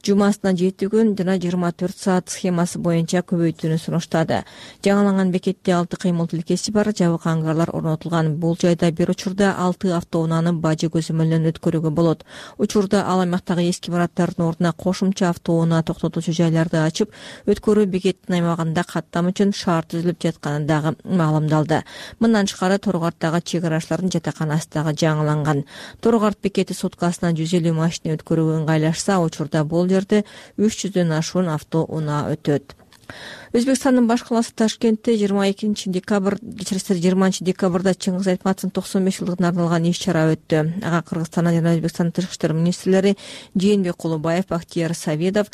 жумасына 7 күн жана 24 саат схемасы боюнча көбөйтүүнү сунуштады. Жаңыланган бекетте 6 кыймыл тилкеси бар, жабык ангарлар орнотулган. Бул жайда бир учурда 6 автоунааны бажы көзөмөлүнөн өткөрүүгө болот. Учурда ал аймактагы эски имараттардын ордуна кошумча автоунаа токтотуучу жайларды ачып, өткөрүү бекетинин аймагында каттам үчүн шарт түзүлүп жатканы дагы маалымдалды. Мындан тышкары Торгорттагы чек арачылардын жатаканасы дагы жаңыланган. Торгорт бекети суткасына 150 машина өткөрүүгө ыңгайлашса, учурда бул жерде 300дөн ашуун автоунаа өтөт. Өзбекстандын баш калаасы Ташкентте 20 декабрда Чыңгыз Айтматовдун 95 жылдыгына арналган иш-чара өттү. Ага Кыргызстандан жана Өзбекстандын тышкы иштер министрлери Жээнбек Кулубаев, Бактияр Саведов,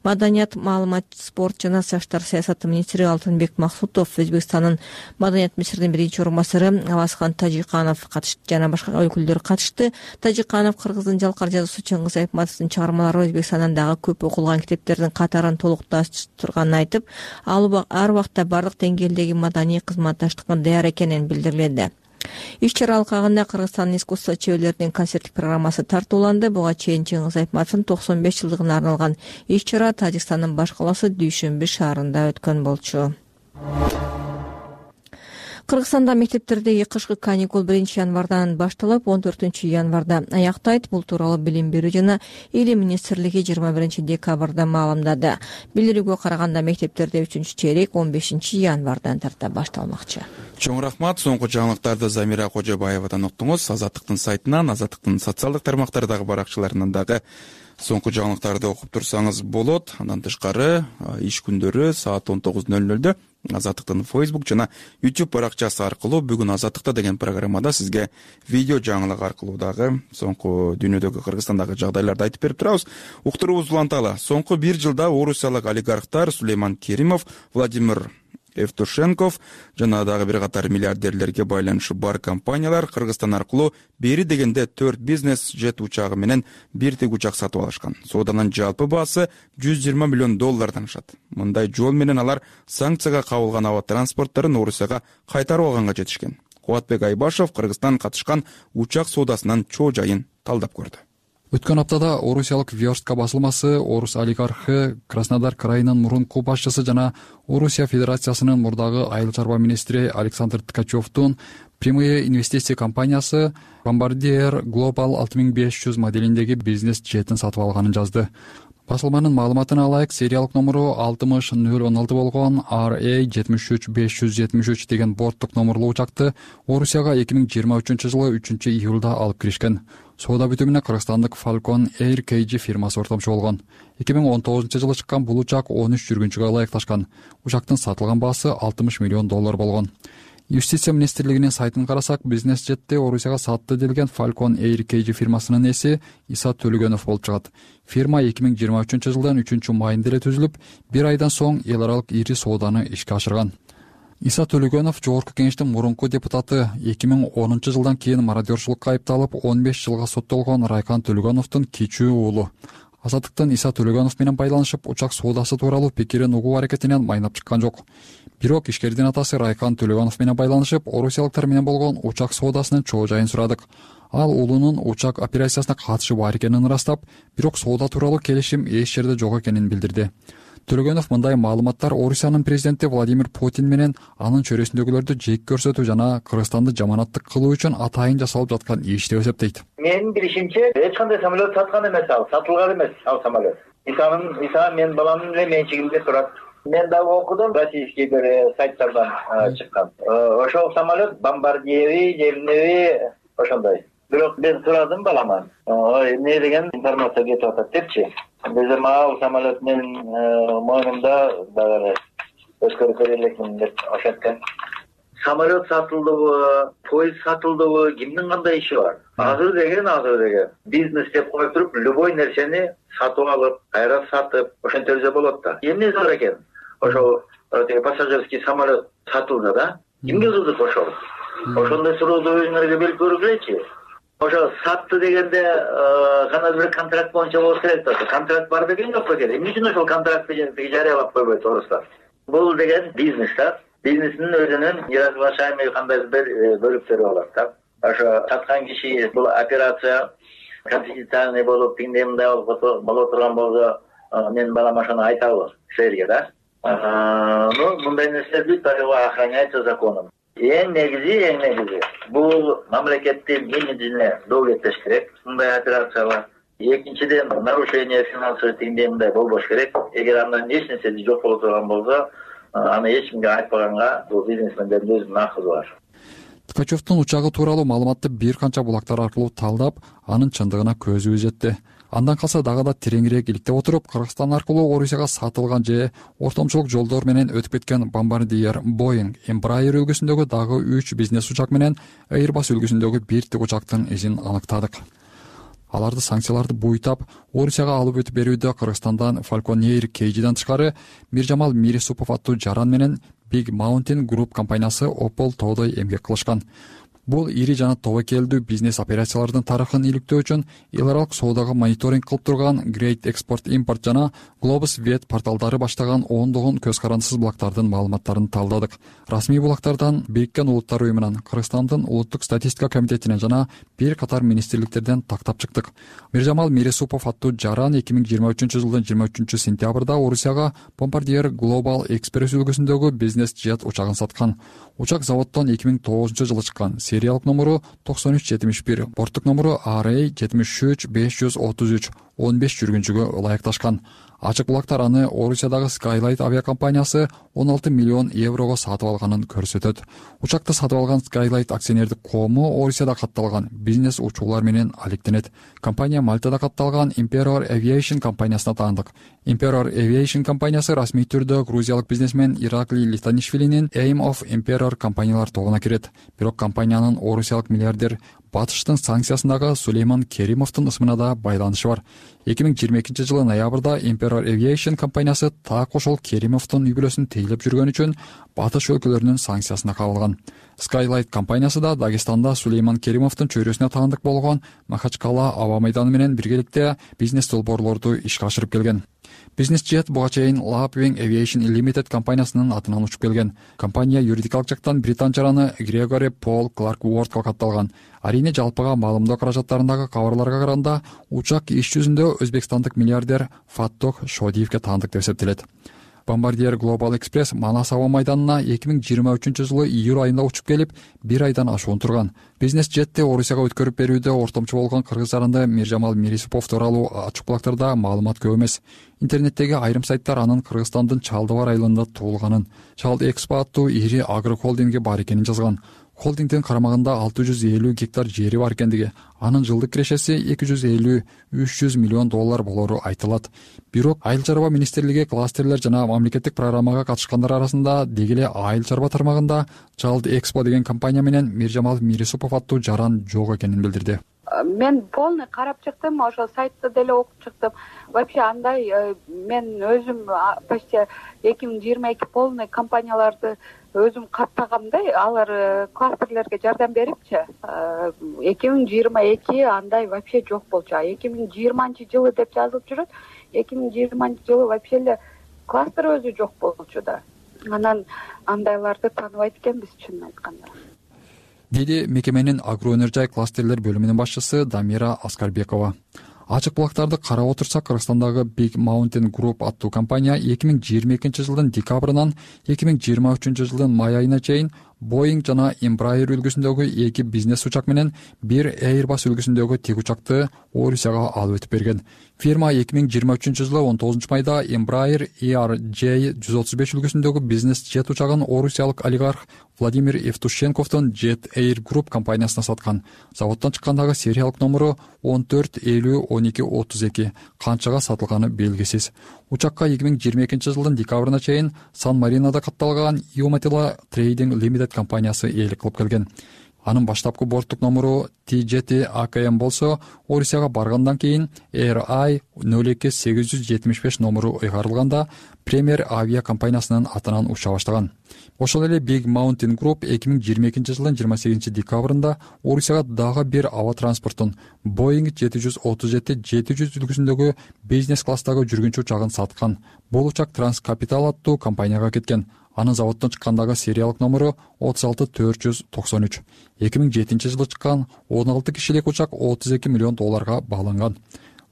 Маданият, маалымат, спорт жана жаштар саясаты министри Алтынбек Максутов, Өзбекстандын маданият министринин биринчи орун басары Авазхан Тажиканов жана башка өкүлдөр катышты. Тажиканов Кыргыздын жалкар жазуучусу Чыңгыз Айтматовдун чыгармалары Өзбекстандан дагы көп окулган китептердин катарын толукташтырганын айтып, ал ар убакта бардык деңгээлдеги маданий кызматташтыкка даяр экенин билдирилди. Иш-чара алкагында Кыргызстандын искусство чеберлеринин концерттик программасы тартууланды. Буга чейин Чыңгыз Айтматовдун 95 жылдыгына арналган иш-чара Тажикстандын баш калаасы Дүйшөмбү шаарында өткөн болчу. Кыргызстанда мектептердеги кышкы каникул 1-январдан башталып, 14-январда аяктайт. Бул тууралуу Билим берүү жана Илим министрлиги 21-декабрда маалымдады. Билдирүүгө караганда мектептерде 3-чейрек 15-январдан тарта башталмакчы. Чоң рахмат. Соңку жаңылыктарды Замира Кожобаевадан уктуңуз. Азаттыктын сайтынан, Азаттыктын социалдык тармактардагы баракчаларынан дагы соңку жаңылыктарды окуп турсаңыз болот. Андан тышкары иш күндөрү саат 19:00 Азаттыктын Facebook жана YouTube баракчасы аркылуу бүгүн Азаттыкта деген программада сизге видео жаңылык аркылуу дагы соңку дүйнөдөгү Кыргызстандагы жагдайларды айтып берип турабыз. Уктуруубуз уланталы. Соңку 1 жылда орусиялык олигархтар Сулейман Керимов, Владимир Евтушенков жана дагы бир катар миллиардерлерге байланышы бар компаниялар Кыргызстан аркылуу бери дегенде 4 бизнес жет учагы менен бир тигучак сатып алышкан. Сооданын жалпы баасы $120 миллион ашат. Мындай жол менен алар санкцияга кабылган аба транспортторун Орусияга кайтарып алганга жетишкен. Кубатбек Айбашев Кыргызстан катышкан учак соодасынын чоо жайын талдап көрдү. Өткөн аптада орусиялык Верстка басылмасы орус олигархы Краснодар крайынын мурунку башчысы жана Орусия Федерациясынын мурдагы айыл чарба министри Александр Ткачевдун прямые инвестиция компаниясы Bombardier Global 6500 моделиндеги бизнес жетин сатып алганын жазды. Басылманын маалыматына алайык, сериялык номуру 60016 болгон RA73573 деген борттук номурлуу учакты Орусияга 2023-жылы 3-июлда алып киришкен. Соода бүтүмүнө кыргызстандык Falcon Air KG фирмасы ортомчу болгон. 2019-жылы чыккан бул учак 13 жүргүнчүгө ылайыкташкан. Учактын сатылган баасы $60 миллион болгон. Юстиция министрлигинин сайтын карасак, бизнес жетти Орусияга сатты делген Falcon Air KG фирмасынын ээси Иса Төлөгөнов болуп чыгат. Фирма 2023-жылдын 3-майында эле түзүлүп, бир айдан соң эл аралык ири сооданы ишке ашырган. Иса Төлөгөнов жогорку кеңештин мурунку депутаты, 2010-жылдан кийин мародерчулукка айыпталып 15 жылга соттолгон Райкан Төлөгөновдун кичүү уулу. Азаттыктын Иса Төлөгөнов менен байланышып, учак соодасы тууралуу пикирин угуу аракетинен майнап чыккан жок. Бирок ишкердин атасы Райкан Төлөгөнов менен байланышып, орусиялыктар менен болгон учак соодасынын чоо жайын сурадык. Ал уулунун учак операциясына катышы бар экенин ырастап, бирок соода тууралуу келишим эч жерде жок экенин билдирди. Төлөгөнов мындай маалыматтар Орусиянын президенти Владимир Путин менен анын чөйрөсүндөгүлөрдү жек көрсөтүү жана Кыргызстанды жаманаттык кылуу үчүн атайын жасалып жаткан иш деп эсептейт. Менин билишимче, эч кандай самолет саткан эмес ал, сатылган эмес ал самолет. Иса мен баламдын эле менчигинде турат. Мен дагы окудум, российский бир сайттардан чыккан. Ошол самолет Bombardier, Жемневи ошондой. Бирок мен сурадым баламан. Эмне деген информация кетип атат депчи. Биз мага самолет менин мойнумда дагы өткөрүп бере элекмин деп ошенткен. Самолет сатылдыбы, поезд сатылдыбы, кимдин кандай иши бар? Азыр деген. Бизнес деп коюп туруп, любой нерсени сатып алып, кайра сатып, ошентерсе болот да. Эмне зор экен? Ошо пассажирский самолет сатылды да. Кимге кызык ошол? Ошондой сурооду өзүңөргө берип көргүлөчү. Ошо сатты дегенде кандай бир контракт боюнча болуш керек да. Контракт бар деген жок экен. Эмне үчүн ошол контрактты жарыялап койбойт орустар? Бул деген бизнес да. Бизнестин өзүнүн неразглашаемый кандай бир бөлүктөрү болот да. Ошо саткан киши бул операция конфиденциальный болуп, тиңдей мындай боло турган болсо, мен балам ошону айтабы силерге да. Мындай нерселерди охраняется законом. Эң негизи бул мамлекеттин имиджине доо кетпеш керек. Мындай операциялар. Экинчиден, нарушение финансовый тиңдей мындай болбош керек. Эгер андан эч нерсе жок боло турган болсо, аны эч кимге айтпаганга бул бизнесмендердин өзүнүн акысы бар. Ткачевдун учагы тууралуу маалыматты бир канча булактар аркылуу талдап, анын чындыгына көзүбүз жетти. Андан калса дагы да тереңирээк иликтеп отуруп, Кыргызстан аркылуу Орусияга сатылган же ортомчулук жолдор менен өтүп кеткен Bombardier, Boeing, Embraer үлгүсүндөгү дагы 3 бизнес учак менен Airbus үлгүсүндөгү 1 тикучактын изин аныктадык. Аларды санкцияларды буйтап, Орусияга алып өтүп берүүдө Кыргызстандан Falcon Air KG'ден тышкары Миржамал Мирисупов аттуу жаран менен Big Mountain Group компаниясы Opel тоодой эмгек кылышкан. Бул ири жана тобокелдүү бизнес операциялардын тарыхын иликтөө үчүн эл аралык соодага мониторинг кылып турган Great Export Import жана Globus Vet порталдары баштаган ондогон көз карандысыз булактардын маалыматтарын талдадык. Расмий булактардан Бириккен Улуттар уюмунан, Кыргызстандын улуттук статистика комитетинен жана бир катар министрликтерден тактап чыктык. Миржамал Мирисупов аттуу жаран 2023-жылдын 23-сентябрда Орусияга Bombardier Global Express үлгүсүндөгү бизнес жет учагын саткан. Учак заводдон 2009-жылы чыккан. Сериялык номеру 9371, борттук номеру RA 73533, 15 жүргүнчүгө ылайыкташкан. Ачык булактар аны Орусиядагы Skylight авиакомпаниясы 16 миллион еврого сатып алганын көрсөтөт. Учакты сатып алган Skylight акционердик коому Орусияда катталган бизнес учуулар менен алектенет. Компания Мальтада катталган Emperor Aviation компаниясына таандык. Emperor Aviation компаниясы расмий түрдө грузиялык бизнесмен Ираклий Литанишвилинин Aim of Emperor компаниялар тобуна кирет. Бирок компаниянын орусиялык миллиардер Батыштын санкциясындагы Сулейман Керимовдун ысымына да байланышы бар. 2022-жылы ноябрда Emperor Aviation компаниясы так ошол Керимовдун үй бүлөсүн тейлеп жүргөн үчүн Батыш өлкөлөрүнүн санкциясына кабылган. Skylight компаниясы да Дагестанда Сулейман Керимовдун чөйрөсүнө таандык болгон Махачкала аба майданы менен биргеликте бизнес долбоорлорду ишке ашырып келген. Бизнес жет буга чейин Lapwing Aviation Limited компаниясынын атынан учуп келген. Компания юридикалык жактан британ жараны Грегори Пол Кларк Уордко катталган. Арине жалпыга маалымдоо каражаттарындагы кабарларга караганда, учак иш жүзүндө өзбекстандык миллиардер Фаттох Шодиевге таандык деп эсептелет. Bombardier Global Express Манас аба майданына 2023-жылы июль айында учуп келип, 1 айдан ашуун турган. Бизнес жетти Орусияга өткөрүп берүүдө ортомчу болгон кыргыз жаранды Миржамал Мирисупов тууралуу ачык булактарда маалымат көп эмес. Интернеттеги айрым сайттар анын Кыргызстандын Чалдыбар айылында туулганын, Чалд Экспо аттуу ири агрохолдинги бар экенин жазган. Холдингдин карамагында 650 гектар жери бар экендиги, анын жылдык кирешеси 250-300 миллион доллар болору айтылат. Бирок Айыл чарба министрлиги кластерлер жана мамлекеттик программага катышкандар арасында дегеле Айыл чарба тармагында Чалд Экспо деген компания менен Миржамал Мирисупов аттуу жаран жок экенин билдирди. Мен полный карап чыктым, ошол сайтты деле окуп чыктым. Вообще андай мен өзүм почти 2022 полный компанияларды өзүм каттагам да, алар кластерлерге жардам берипчи. 2022 андай вообще жок болчу. 2020-жылы деп жазылып жүрөт. 2020-жылы вообще эле кластер өзү жок болчу да. Анан андайларды тааныбайт экенбиз, чынын айтканда. Деди мекеменин агроөнөр-жай кластерлер бөлүмүнүн башчысы Дамира Аскарбекова. Ачык булактарды карап отурсак, Кыргызстандагы Big Mountain Group аттуу компания 2022-жылдын декабрынан 2023-жылдын май айына чейин Boeing жана Embraer үлгүсүндөгү 2 бизнес учак менен 1 Airbus үлгүсүндөгү тик учакты Орусияга алып өтүп берген. Фирма 2023-жылы 19 майда Embraer ERJ-135 үлгүсүндөгү бизнес жет учагын орусиялык олигарх Владимир Евтушенковдун Jet Air Group компаниясына саткан. Заводдон чыккандагы сериялык номеру 14501232, канчага сатылганы белгисиз. Учакка 2022-жылдын декабрына чейин Сан-Маринада катталган Iumatilla Trading Limited компаниясы ээлик кылып келген. Анын баштапкы борттук номеру T7 AKM болсо, Орусияга баргандан кийин RI 02875 номеру ыйгарылганда Premier авиа компаниясынын атынан уча баштаган. Ошол эле Big Mountain Group 2022-жылдын 28 декабрында Орусияга дагы бир аба транспортун Boeing 737-700 үлгүсүндөгү бизнес класстагы жүргүнчү учагын саткан. Бул учак Транскапитал аттуу компанияга кеткен. Анын заводдон чыккандагы сериялык номеру 36493. 2007-жылы чыккан 16 кишилик учак 32 миллион долларга бааланган.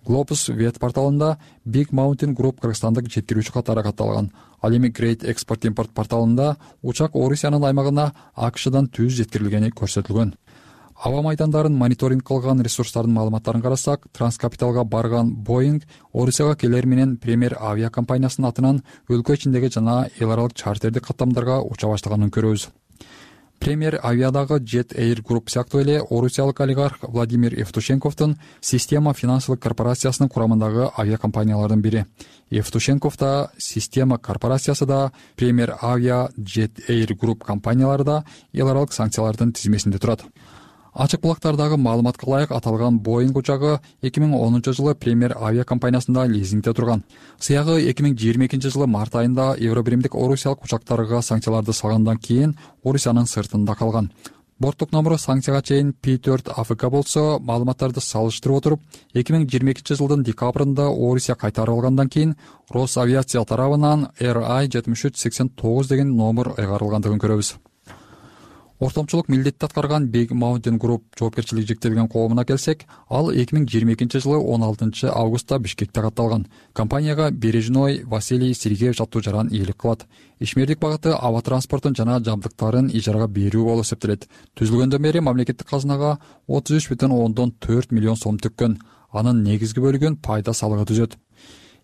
Globus Vet порталында Big Mountain Group кыргызстандык жеткирүүчү катары катталган. Ал эми Great Export Import порталында учак Орусиянын аймагына АКШдан түз жеткирилгени көрсөтүлгөн. Аба майдандарын мониторинг кылган ресурстардын маалыматтарын карасак, Транскапиталга барган Boeing Орусияга келер менен Premier авиа компаниясынын атынан өлкө ичиндеги жана эл аралык чартердик каттамдарга уча баштаганын көрөбүз. Премьер авиадагы Jet Air Group сыяктуу эле орусиялык олигарх Владимир Евтушенковдун Система финансылык корпорациясынын курамындагы авиакомпаниялардын бири. Евтушенков да, Система корпорациясы да, Премьер авиа, Jet Air Group компаниялары да эл аралык санкциялардын тизмесинде турат. Ачык булактардагы маалыматка ылайык аталган Boeing учагы 2010 жылы Премьер авиа компаниясында лизингде турган. Сыягы 2022 жылы март айында Евробиримдик орусиялык учактарга санкцияларды салгандан кийин Орусиянын сыртында калган. Борттук номеру санкцияга чейин P4 АФК болсо, маалыматтарды салыштырып отуруп, 2022 жылдын декабрында Орусия кайтарып алгандан кийин Росавиация тарабынан RI-7389 деген номер ыйгарылгандыгын көрөбүз. Ортомчулук милдетти аткарган Big Mountain Group жоопкерчилиги чектелген коомуна келсек, ал 2022 жылы 16 августта Бишкекте катталган. Компанияга Бережной Василий Сергеевич аттуу жаран ийгилик кылат. Ишмердик багыты аба транспортун жана жабдыктарын ижарага берүү болуп эсептелет. Түзүлгөндөн бери мамлекеттик казынага 33,4 миллион сом түккөн. Анын негизги бөлүгүн пайда салыгы түзөт.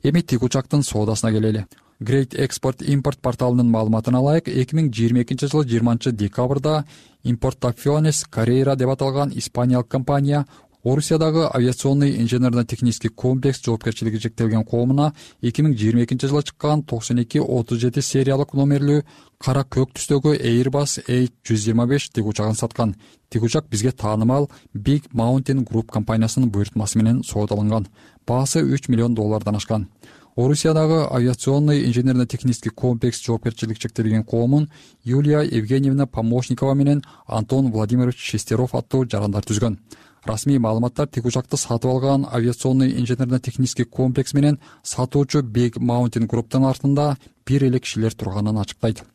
Эми тик учактын соодасына келели. Great Export Import порталынын маалыматына ылайык, 2022 жылы 20 декабрда Importaciones Carrera деп аталган испаниялык компания Орусиядагы авиационный инженерно-технический комплекс жоопкерчилиги чектелген коомуна 2022 жылы чыккан 9237 сериялык номерлүү кара көк түстөгү Airbus A125 тик учагын саткан. Тик учак бизге таанымал Big Mountain Group компаниясынын буйртмасы менен соодалынган. Баасы $3 миллион ашкан. Орусиядагы авиационный инженерно-технический комплекс жоопкерчилиги чектелген коомун Юлия Евгеньевна Помощникова менен Антон Владимирович Шестеров аттуу жарандар түзгөн. Расмий маалыматтар тик учакты сатып алган авиационный инженерно-технический комплекс менен сатуучу Big Mountain Group'тун артында бир эле кишилер турганын ачыктайт.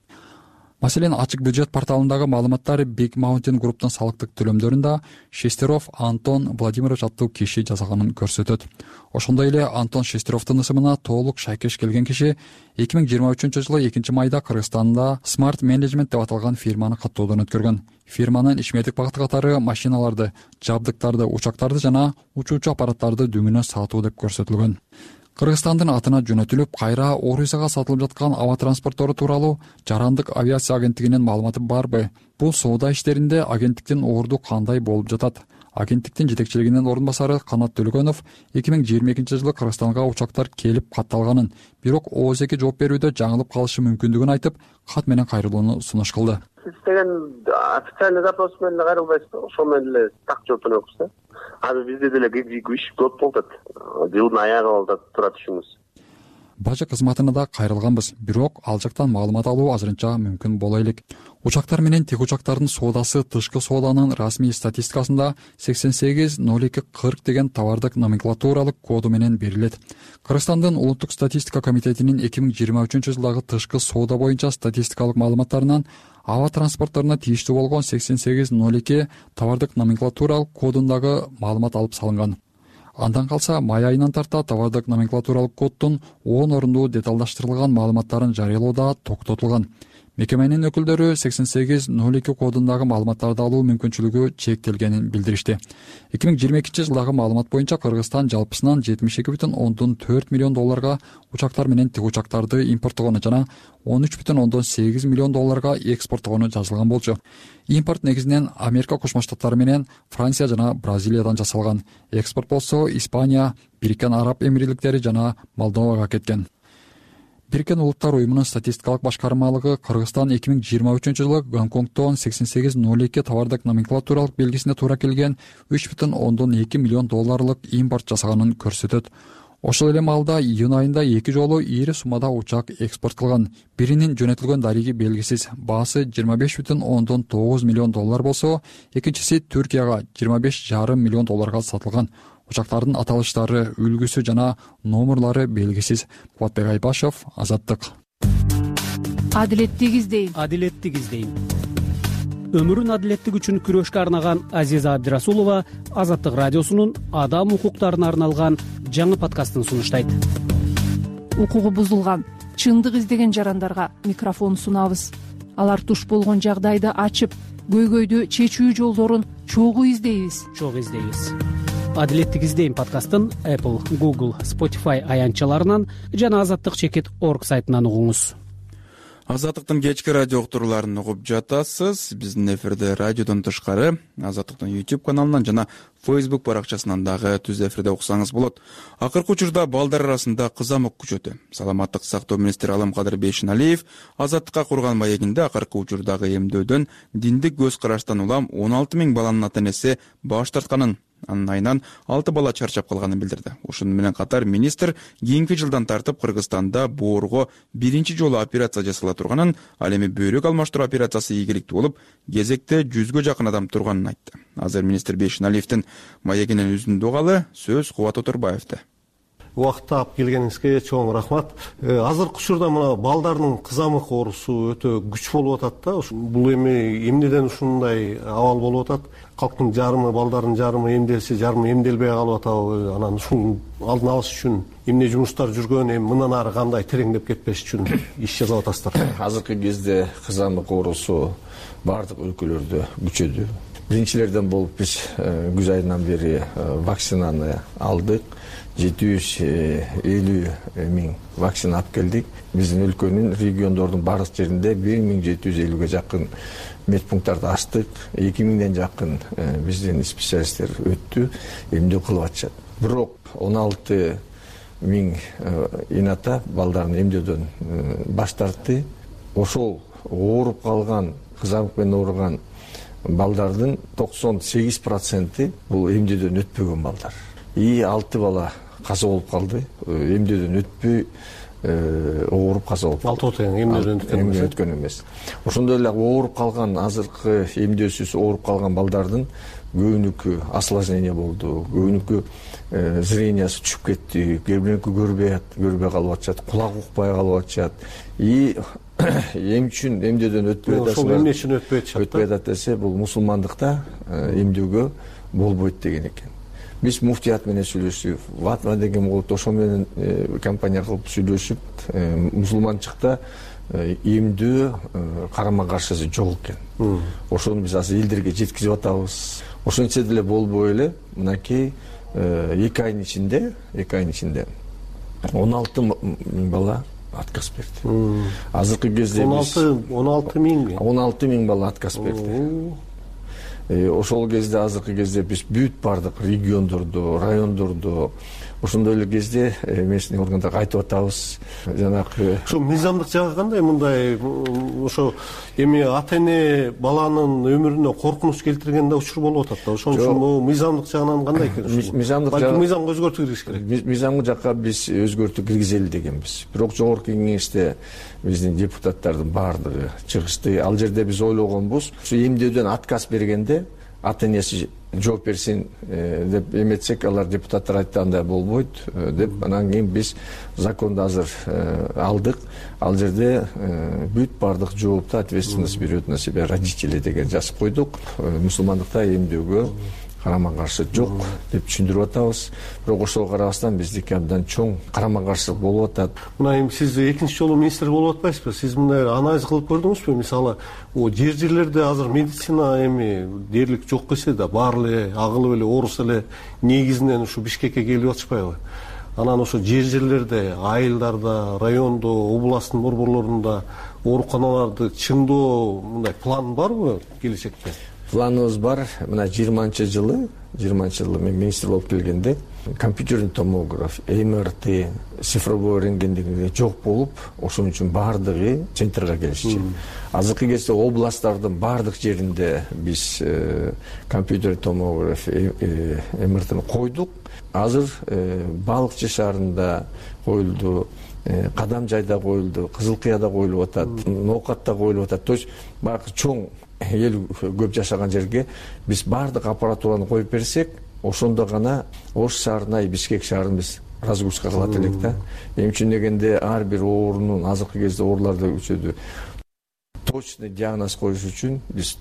Маселен, ачык бюджет порталындагы маалыматтар Big Mountain Group'тун салыктык төлөмдөрүндө Шестеров Антон Владимирович аттуу киши жасаганын көрсөтөт. Ошондой эле Антон Шестеровдун ысымына толук шайкеш келген киши 2023 жылы 2 майда Кыргызстанда Smart Management деп аталган фирманы каттоодон өткөргөн. Фирманын ишмердик багыты катары машиналарды, жабдыктарды, учактарды жана учуучу аппараттарды дүңүнө сатуу деп көрсөтүлгөн. Кыргызстандын атына жөнөтүлүп, кайра Орусияга сатылып жаткан аба транспорттору тууралуу Жарандык авиация агенттигинин маалыматы барбы? Бул соода иштеринде агенттиктин орду кандай болуп жатат? Агенттиктин жетекчилигинин орун басары Канат Төлөгөнов 2022 жылы Кыргызстанга учактар келип катталганын, бирок ООС-ге жооп берүүдө жаңылып калышы мүмкүндүгүн айтып, кат менен кайрылууну сунуш кылды. Сиз деген официальный запрос менен кайрылбайсызбы? Ошол менен эле так жооп беребиз да. Азыр бизде деле иш көп болуп атат. Жылдын аягы болуп атат, турат ишибиз. Бажа кызматына да кайрылганбыз, бирок ал жактан маалымат алуу азырынча мүмкүн боло элек. Учактар менен тик учактардын соодасы тышкы сооданын расмий статистикасында 880240 деген товардык номенклатуралык коду менен берилет. Кыргызстандын улуттук статистика комитетинин 2023 жылдагы тышкы соода боюнча статистикалык маалыматтарынан аба транспортторуна тийиштүү болгон 8802 товардык номенклатуралык кодундагы маалымат алып салынган. Андан калса май айынан тарта товардык номенклатуралык коддун 10 орунду деталдаштырылган маалыматтарын жарыялоо да токтотулган. Мекеменин өкүлдөрү 8802 кодундагы маалыматтарды алуу мүмкүнчүлүгү чектелгенин билдиришти. 2022 жылдагы маалымат боюнча Кыргызстан жалпысынан $72,4 миллион учактар менен тик учактарды импорттогону жана $13,8 миллион экспорттогону жазылган болчу. Импорт негизинен Америка Кошмо Штаттары менен Франция жана Бразилиядан жасалган. Экспорт болсо Испания, Бириккен Араб Эмирликтери жана Молдовага кеткен. Бириккен Улуттар уюмунун статистикалык башкармалыгы Кыргызстан 2023 жылы Гонконгдон 8802 товардык номенклатуралык белгисине туура келген $3,2 миллион импорт жасаганын көрсөтөт. Ошол эле маалда июнь айында 2 жолу ири суммада учак экспорт кылган. Биринин жөнөтүлгөн дариги белгисиз, баасы $25,9 миллион болсо, экинчиси Түркияга $25,5 миллион сатылган. Учактардын аталыштары, үлгүсү жана номерлары белгисиз. Кубатбек Айбашев, Азаттык. Адилеттик издейм. Адилеттик издейм. Өмүрүн адилеттик үчүн күрөшкө арнаган Азиза Абдирасулова Азаттык радиосунун адам укуктарына арналган жаңы подкастын сунуштайт. Укугу бузулган, чындык издеген жарандарга микрофон сунабыз. Алар туш болгон жагдайды ачып, көйгөйдү чечүү жолдорун чогуу издейбиз. Адилеттик издейм подкастын Apple, Google, Spotify аянтчаларынан жана Азаттык.org сайтынан угуңуз. Азаттыктын кечки радио уктурууларын угуп жатасыз. Биздин эфирде радиодон тышкары Азаттыктын YouTube каналынан жана Facebook баракчасынан дагы түз эфирде уксаңыз болот. Акыркы учурда балдар арасында кызамык күчөтө. Саламаттык сактоо министри Аламкадыр Бейшеналиев Азаттыкка курган маегинде акыркы учурдагы эмдөөдөн диндик көз караштан улам 16 000 баланын ата-энеси баш тартканын, анын айынан 6 бала чарчап калганын билдирди. Ушуну менен катар министр кийинки жылдан тартып Кыргызстанда боорго биринчи жолу операция жасала турганын, ал эми бөйрөк алмаштыруу операциясы ийгиликтүү болуп, кезекте 100гө жакын адам турганын айтты. Азыр министр Бейшеналиевдин маегинен үзүндү угалы, сөз Кубат Отурбаевде. Убакыт таап келгениңизге чоң рахмат. Азыркы учурда мына балдардын кызамык оорусу өтө күч болуп атат да. Бул эми эмнеден ушундай абал болуп атат? Калктын жарымы, балдардын жарымы эмделсе, жарымы эмделбей калып атабы? Анан ушунун алдын алыш үчүн эмне жумуштар жүргөн, эми мындан ары кандай тереңдеп кетпеш үчүн иш жасап атасыздар? Азыркы кезде кызамык оорусу бардык өлкөлөрдө күчөдү. Биринчилерден болуп биз күз айынан бери вакцинаны алдык. 750 000 вакцина алып келдик. Биздин өлкөнүн региондордун бардык жеринде 1750ге жакын медпункттарды ачтык. 2000ден жакын биздин специалисттер өттү, эмдөө кылып атышат. Бирок 16 000 ината балдарын эмдөөдөн баш тартты. Ошол ооруп калган, кызамык менен ооруган балдардын 98% бул эмдөөдөн өтпөгөн балдар. 6 бала каза болуп калды. Эмдөөдөн өтпөй ооруп каза болуп. 6 тең эмдөөдөн өткөн эмес. Ошондой эле ооруп калган, азыркы эмдөөсүз ооруп калган балдардын көбүнүкү осложнение болду. Көбүнүкү зрениясы түшүп кетти. Көбүнүкү көрбөй калып атышат, кулак укпай калып атышат. Эм үчүн эмдөөдөн өтпөй атат. Ошол эмне үчүн өтпөй атышат? Өтпөй атат десе, бул мусулмандыкта эмдөөгө болбойт деген экен. Биз муфтият менен сүйлөшүп, Ватма деген болот, ошол менен компания кылып сүйлөшүп, мусулманчыкта эмдөө карама каршысы жок экен. Ошону биз азыр элдерге жеткизип атабыз. Ошончо деле болбой эле, мынакей 2 айдын ичинде 16 000 бала отказ берди. Азыркы кезде 16 000 бала отказ берди. Ошол кезде, азыркы кезде биз бүт бардык региондордо, райондордо, ошондой эле кезде местный органдарга айтып атабыз. Жанагы ошо мыйзамдык жагы кандай? Мындай ошо эми ата-эне баланын өмүрүнө коркунуч келтиргенде учур болуп атат да. Ошон үчүн мыйзамдык жагынан кандай экен? Мыйзамга өзгөртүү киргизиш керек. Мыйзамга жакка биз өзгөртүү киргизели дегенбиз. Бирок жогорку кеңеште биздин депутаттардын баардыгы чыгышты. Ал жерде биз ойлогонбуз, ушу эмдөөдөн отказ бергенде ата-энеси жооп берсин деп эметсек, алар депутаттар айтты андай болбойт деп, анан кийин биз законду азыр алдык. Ал жерде бүт бардык жоопту ответственность берет на себя родители деген жазып койдук. Мусулмандыкта эмдөөгө карама каршы жок деп түшүндүрүп атабыз. Бирок ошого карабастан биздики абдан чоң карама каршылык болуп атат. Мына эми сиз экинчи жолу министр болуп атпайсызбы? Сиз мындай анализ кылып көрдүңүзбү? Мисалы, жерлерде азыр медицина эми дээрлик жок келсе да, баары эле агылып эле ооруса эле негизинен ушу Бишкекке келип атышпайбы? Анан ошо жерлерде, айылдарда, райондо, областтын борборлорунда ооруканаларды чыңдоо мындай план барбы келечекте? Планыбыз бар. Мына 20 жылы мен министр болуп келгенде компьютерный томограф, МРТ, цифровой рентген деген жок болуп, ошон үчүн баардыгы центрге келишчү. Азыркы кезде областтардын баардык жеринде биз компьютерный томограф, МРТни койдук. Азыр Балыкчы шаарында коюлду, Кадам жайда коюлду, Кызыл Кыяда коюлуп атат, Ноокатта коюлуп атат. То есть баягы чоң эл көп жашаган жерге биз баардык аппаратураны коюп берсек, ошондо гана Ош шаарына, Бишкек шаарын биз разгрузка кылат элек да. Эми үчүн дегенде ар бир оорунун, азыркы кезде оорулар да күчөдү, точный диагноз коюш үчүн биз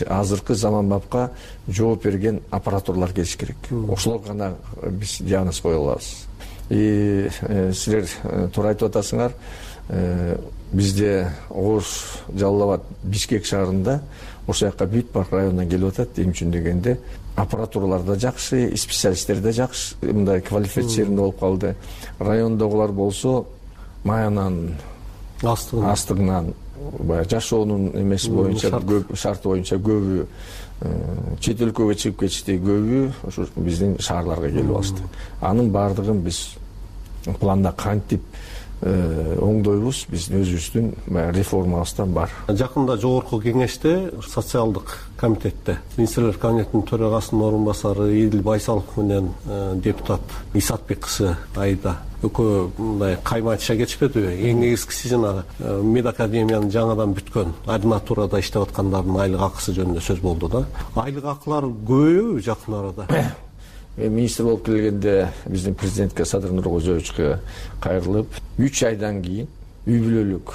азыркы заманбапка жооп берген аппаратуралар келиш керек. Ошолор гана биз диагноз кое алабыз. Силер туура айтып атасыңар. Бизде Ош, Жалал Абад, Бишкек шаарында ошол жака бүт бар райондан келип атат. Эми үчүн дегенде аппаратуралар да жакшы, специалисттер да жакшы, мындай квалифицированный болуп калды. Райондогулар болсо маянан астыгынан баягы жашоонун эмеси боюнча шарты боюнча көбү чет өлкөгө чыгып кетишти, көбү ошо биздин шаарларга келип алышты. Анын баардыгын биз планда кантип оңдойбуз, биздин өзүбүздүн реформабызда бар. Жакында жогорку кеңеште социалдык комитетте министрлер кабинетинин төрагасынын орун басары Идил Байсалов менен депутат Исатбек кызы Айда экөө мындай каймача кетишпедиби? Эң негизгиси жанагы медакадемиянын жаңадан бүткөн ординатурада иштеп аткандардын айлык акысы жөнүндө сөз болду да. Айлык акылар көбөйөбү жакын арада? Министр болуп келгенде биздин президентке Садыр Нуркожоевичке кайрылып 3 айдан кийин үй бүлөлүк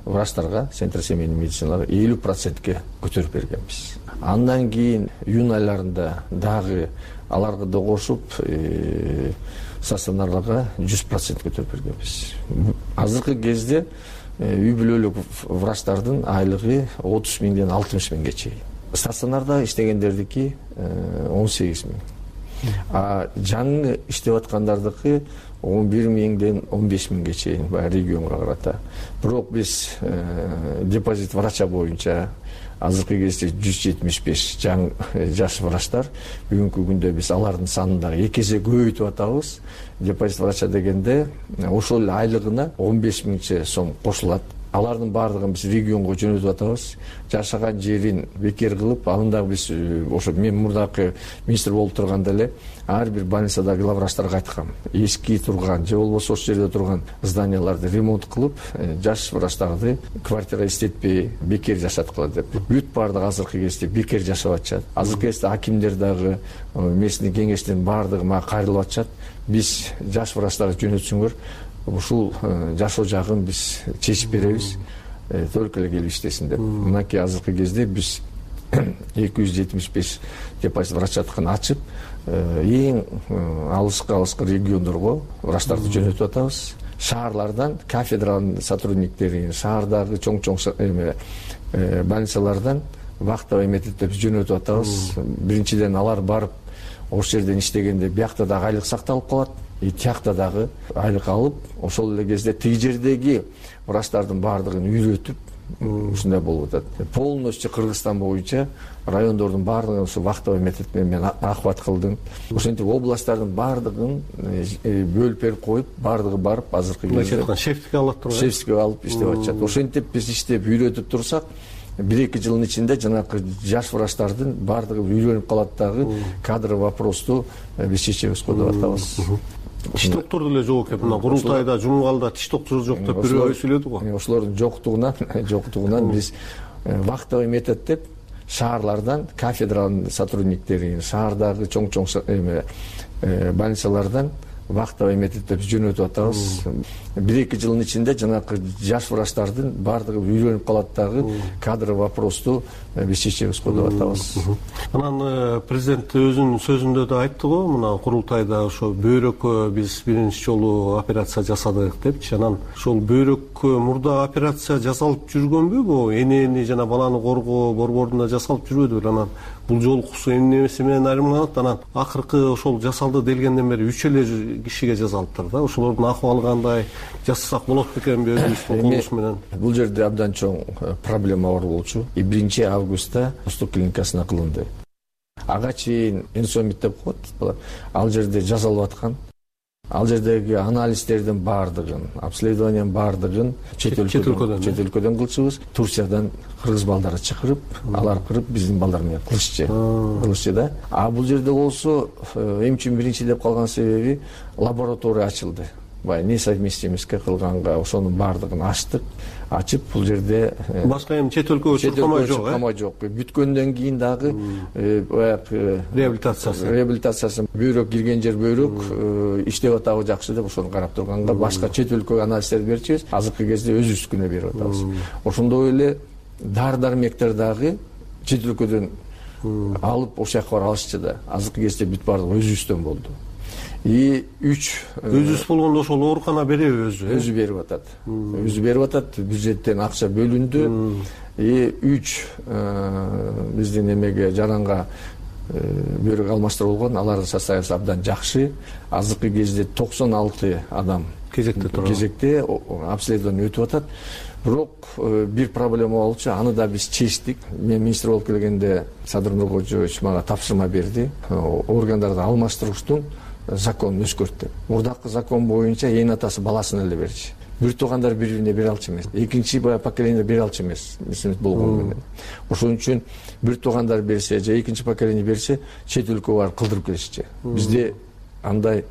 врачтарга, центр семейной медициналарга 50%ке көтөрүп бергенбиз. Андан кийин июнь айларында дагы аларга да кошуп стационарларга 100% көтөрүп бергенбиз. Азыркы кезде үй бүлөлүк врачтардын айлыгы 30 миңден 60 миңге чейин. Стационарда иштегендердики 18 миң. Жаңы иштеп аткандардыкы 11 миңден 15 миңге чейин регионго карата. Бирок биз депозит врача боюнча азыркы кезде 175 жаш врачтар, бүгүнкү күндө биз алардын санын дагы 2 эсе көбөйтүп атабыз. Депозит врача дегенде ошол айлыгына 15 миңче сом кошулат. Алардын баардыгын биз регионго жөнөтүп атабыз. Жашаган жерин бекер кылып, аны дагы биз ошо мен мурдакы министр болуп турганда эле ар бир больницадагы главврачтарга айткам. Эски турган же болбосо ошол жерде турган зданияларды ремонт кылып, жаш врачтарды квартира иштетпей бекер жашаткыла деп. Бүт баардыгы азыркы кезде бекер жашап атышат. Азыркы кезде акимдер дагы местный кеңештин баардыгы мага кайрылып атышат. Биз жаш врачтарды жөнөтсүңөр, ушул жашоо жагын биз чечип беребиз, только эле келип иштесин деп. Мынакей азыркы кезде биз 275 депозит врачатканы ачып, эң алыскы региондорго врачтарды жөнөтүп атабыз. Шаарлардан кафедранын сотрудниктерин, шаардагы чоң больницалардан вахтовый методдо жөнөтүп атабыз. Биринчиден алар барып ошол жерден иштегенде биякта дагы айлык сакталып калат. Тиякта дагы айлык алып, ошол эле кезде тиги жердеги врачтардын баардыгын үйрөтүп, ушундай болуп атат. Полностью Кыргызстан боюнча райондордун баардыгын ушу вахтовый метод менен охват кылдым. Ошентип областтардын баардыгын бөлүп берип коюп, баардыгы барып азыркы кезде шефтикке алып турган. Шефтикке алып иштеп атышат. Ошентип биз иштеп үйрөтүп турсак, 1-2 жылдын ичинде жанагы жаш врачтардын баардыгы үйрөнүп калат дагы кадр вопросту биз чечебиз го деп атабыз. Тиш доктор деле жок экен. Мына курултайда Жумгалда тиш доктор жок деп бирөө сүйлөдү го. Ошолордун жоктугунан биз вахтовый метод деп шаарлардан кафедранын сотрудниктерин, шаардагы чоң больницалардан вахтовый методдо жөнөтүп атабыз. 1-2 жылдын ичинде жанагы жаш врачтардын баардыгы үйрөнүп калат дагы кадр вопросту биз чечебиз го деп атабыз. Анан президент өзүнүн сөзүндө да айтты го, мына курултайда ошо бөйрөккө биз биринчи жолу операция жасадык депчи. Анан ошол бөйрөккө мурда операция жасалып жүргөнбү? Бу энени жана баланы коргоо борборунда жасалып жүрбөдүбү? Анан бул жолкусу эмнеси менен айырмаланат? Анан акыркы ошол жасалды делгенден бери 3 эле кишиге жасалыптыр да. Ошолордун акыбалы кандай? Жасасак болот бекенби өзүбүздүн колубуз менен? Бул жерде абдан чоң проблема бар болчу. 1 августта Восток клиникасына кылынды. Ага чейин инсомит деп коет. Ал жерде жасалып аткан. Ал жердеги анализдердин баардыгын, обследованиянын баардыгын чет өлкөдөн кылчубуз. Турциядан кыргыз балдарды чакырып, алар кырып биздин балдар менен кылышчы да. Бул жерде болсо эмчи биринчи деп калган себеби лаборатория ачылды. Несовместимостьке кылганга ошонун баардыгын ачып, бул жерде башка эми чет өлкөгө чыккамай жок. Бүткөндөн кийин дагы баягы реабилитациясы бөйрөк кирген жер бөйрөк иштеп атабы жакшы деп ошону карап турганга башка чет өлкөгө анализдерди берчүбүз. Азыркы кезде өзүбүздүкүнө берип атабыз. Ошондой эле дары-дармектер дагы чет өлкөдөн алып ошол жака барып алышчы да. Азыркы кезде бүт баардыгы өзүбүздөн болду. Өзүбүз болгондо ошол оорукана береби өзү? Өзү берип атат. Өзү берип атат, бюджеттен акча бөлүндү. 3 биздин эмеге жаранга бөйрөк алмаштырып алардын состояниясы абдан жакшы. Азыркы кезде 96 адам кезекте турат. Кезекте обследование өтүп атат. Бирок бир проблема болчу, аны да биз чечтик. Мен министр болуп келгенде Садыр Нуркожоевич мага тапшырма берди. Органдарды алмаштырыштын законун өзгөрттү. Мурдакы закон боюнча ээн атасы баласына эле берчү. Бир туугандар бири-бирине бере алчу эмес. Экинчи поколение бере алчу эмес. Мисалы болгон менен. Ошон үчүн бир туугандар берсе же экинчи поколение берсе, чет өлкөгө барып кылдырып келишчи. Бизде андай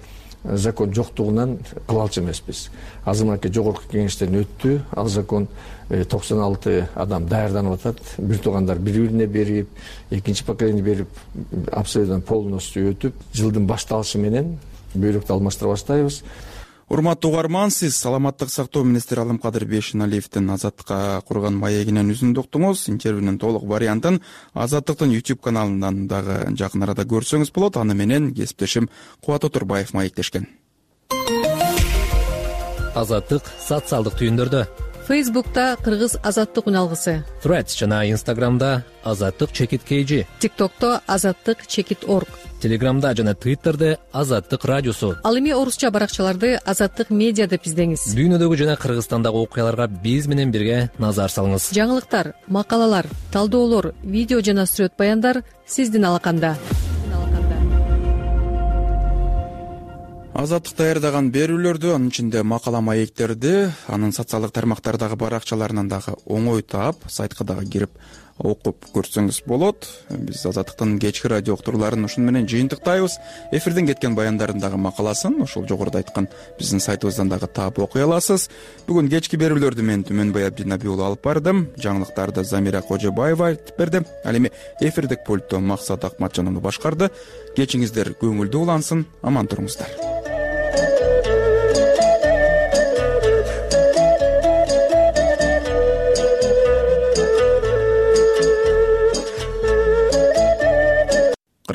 закон жоктугунан кыла алчу эмеспиз. Азыркы жогорку кеңештен өттү. Ал закон 96 адам даярданып атат. Бир туугандар бири-бирине берип, экинчи поколение берип, абсолютно полностью өтүп, жылдын башталышы менен бөйрөктү алмаштыра баштайбыз. Урматтуу угарман, сиз саламаттык сактоо министри Алымкадыр Бейшеналиевдин Азаттыкка курган маегинен үзүндү уктуңуз. Интервьюнун толук вариантын Азаттыктын YouTube каналынан дагы жакын арада көрсөңүз болот. Аны менен кесиптешим Кубат Отурбаев маектешкен. Азаттык социалдык түйүндөрдө. Фейсбукта Кыргыз Азаттык үналгысы, Threads жана Instagramда Азаттык чекит KG, TikTokто Азаттык чекит org, Телеграмда жана Twitterде Азаттык радиосу. Ал эми орусча баракчаларды Азаттык медиа деп издеңиз. Дүйнөдөгү жана Кыргызстандагы окуяларга биз менен бирге назар салыңыз. Жаңылыктар, макалалар, талдоолор, видео жана сүрөт баяндар сиздин алаканда. Азаттык даярдаган берүүлөрдү, анын ичинде макала маектерди, анын социалдык тармактардагы баракчаларынан дагы оңой таап, сайтка дагы кирип окуп көрсөңүз болот. Биз Азаттыктын кечки радио уктурууларын ушуну менен жыйынтыктайбыз. Эфирден кеткен баяндардын дагы макаласын ошол жогоруда айткан биздин сайтыбыздан дагы таап окуй аласыз. Бүгүн кечки берүүлөрдү мен Түмөнбай Абдинабий уулу алып бардым. Жаңылыктарды Замира Кожобаева айтып берди. Ал эми эфирдик пульттон Максат Акматжанов башкарды. Кечиңиздер көңүлдүү улансын, аман туруңуздар.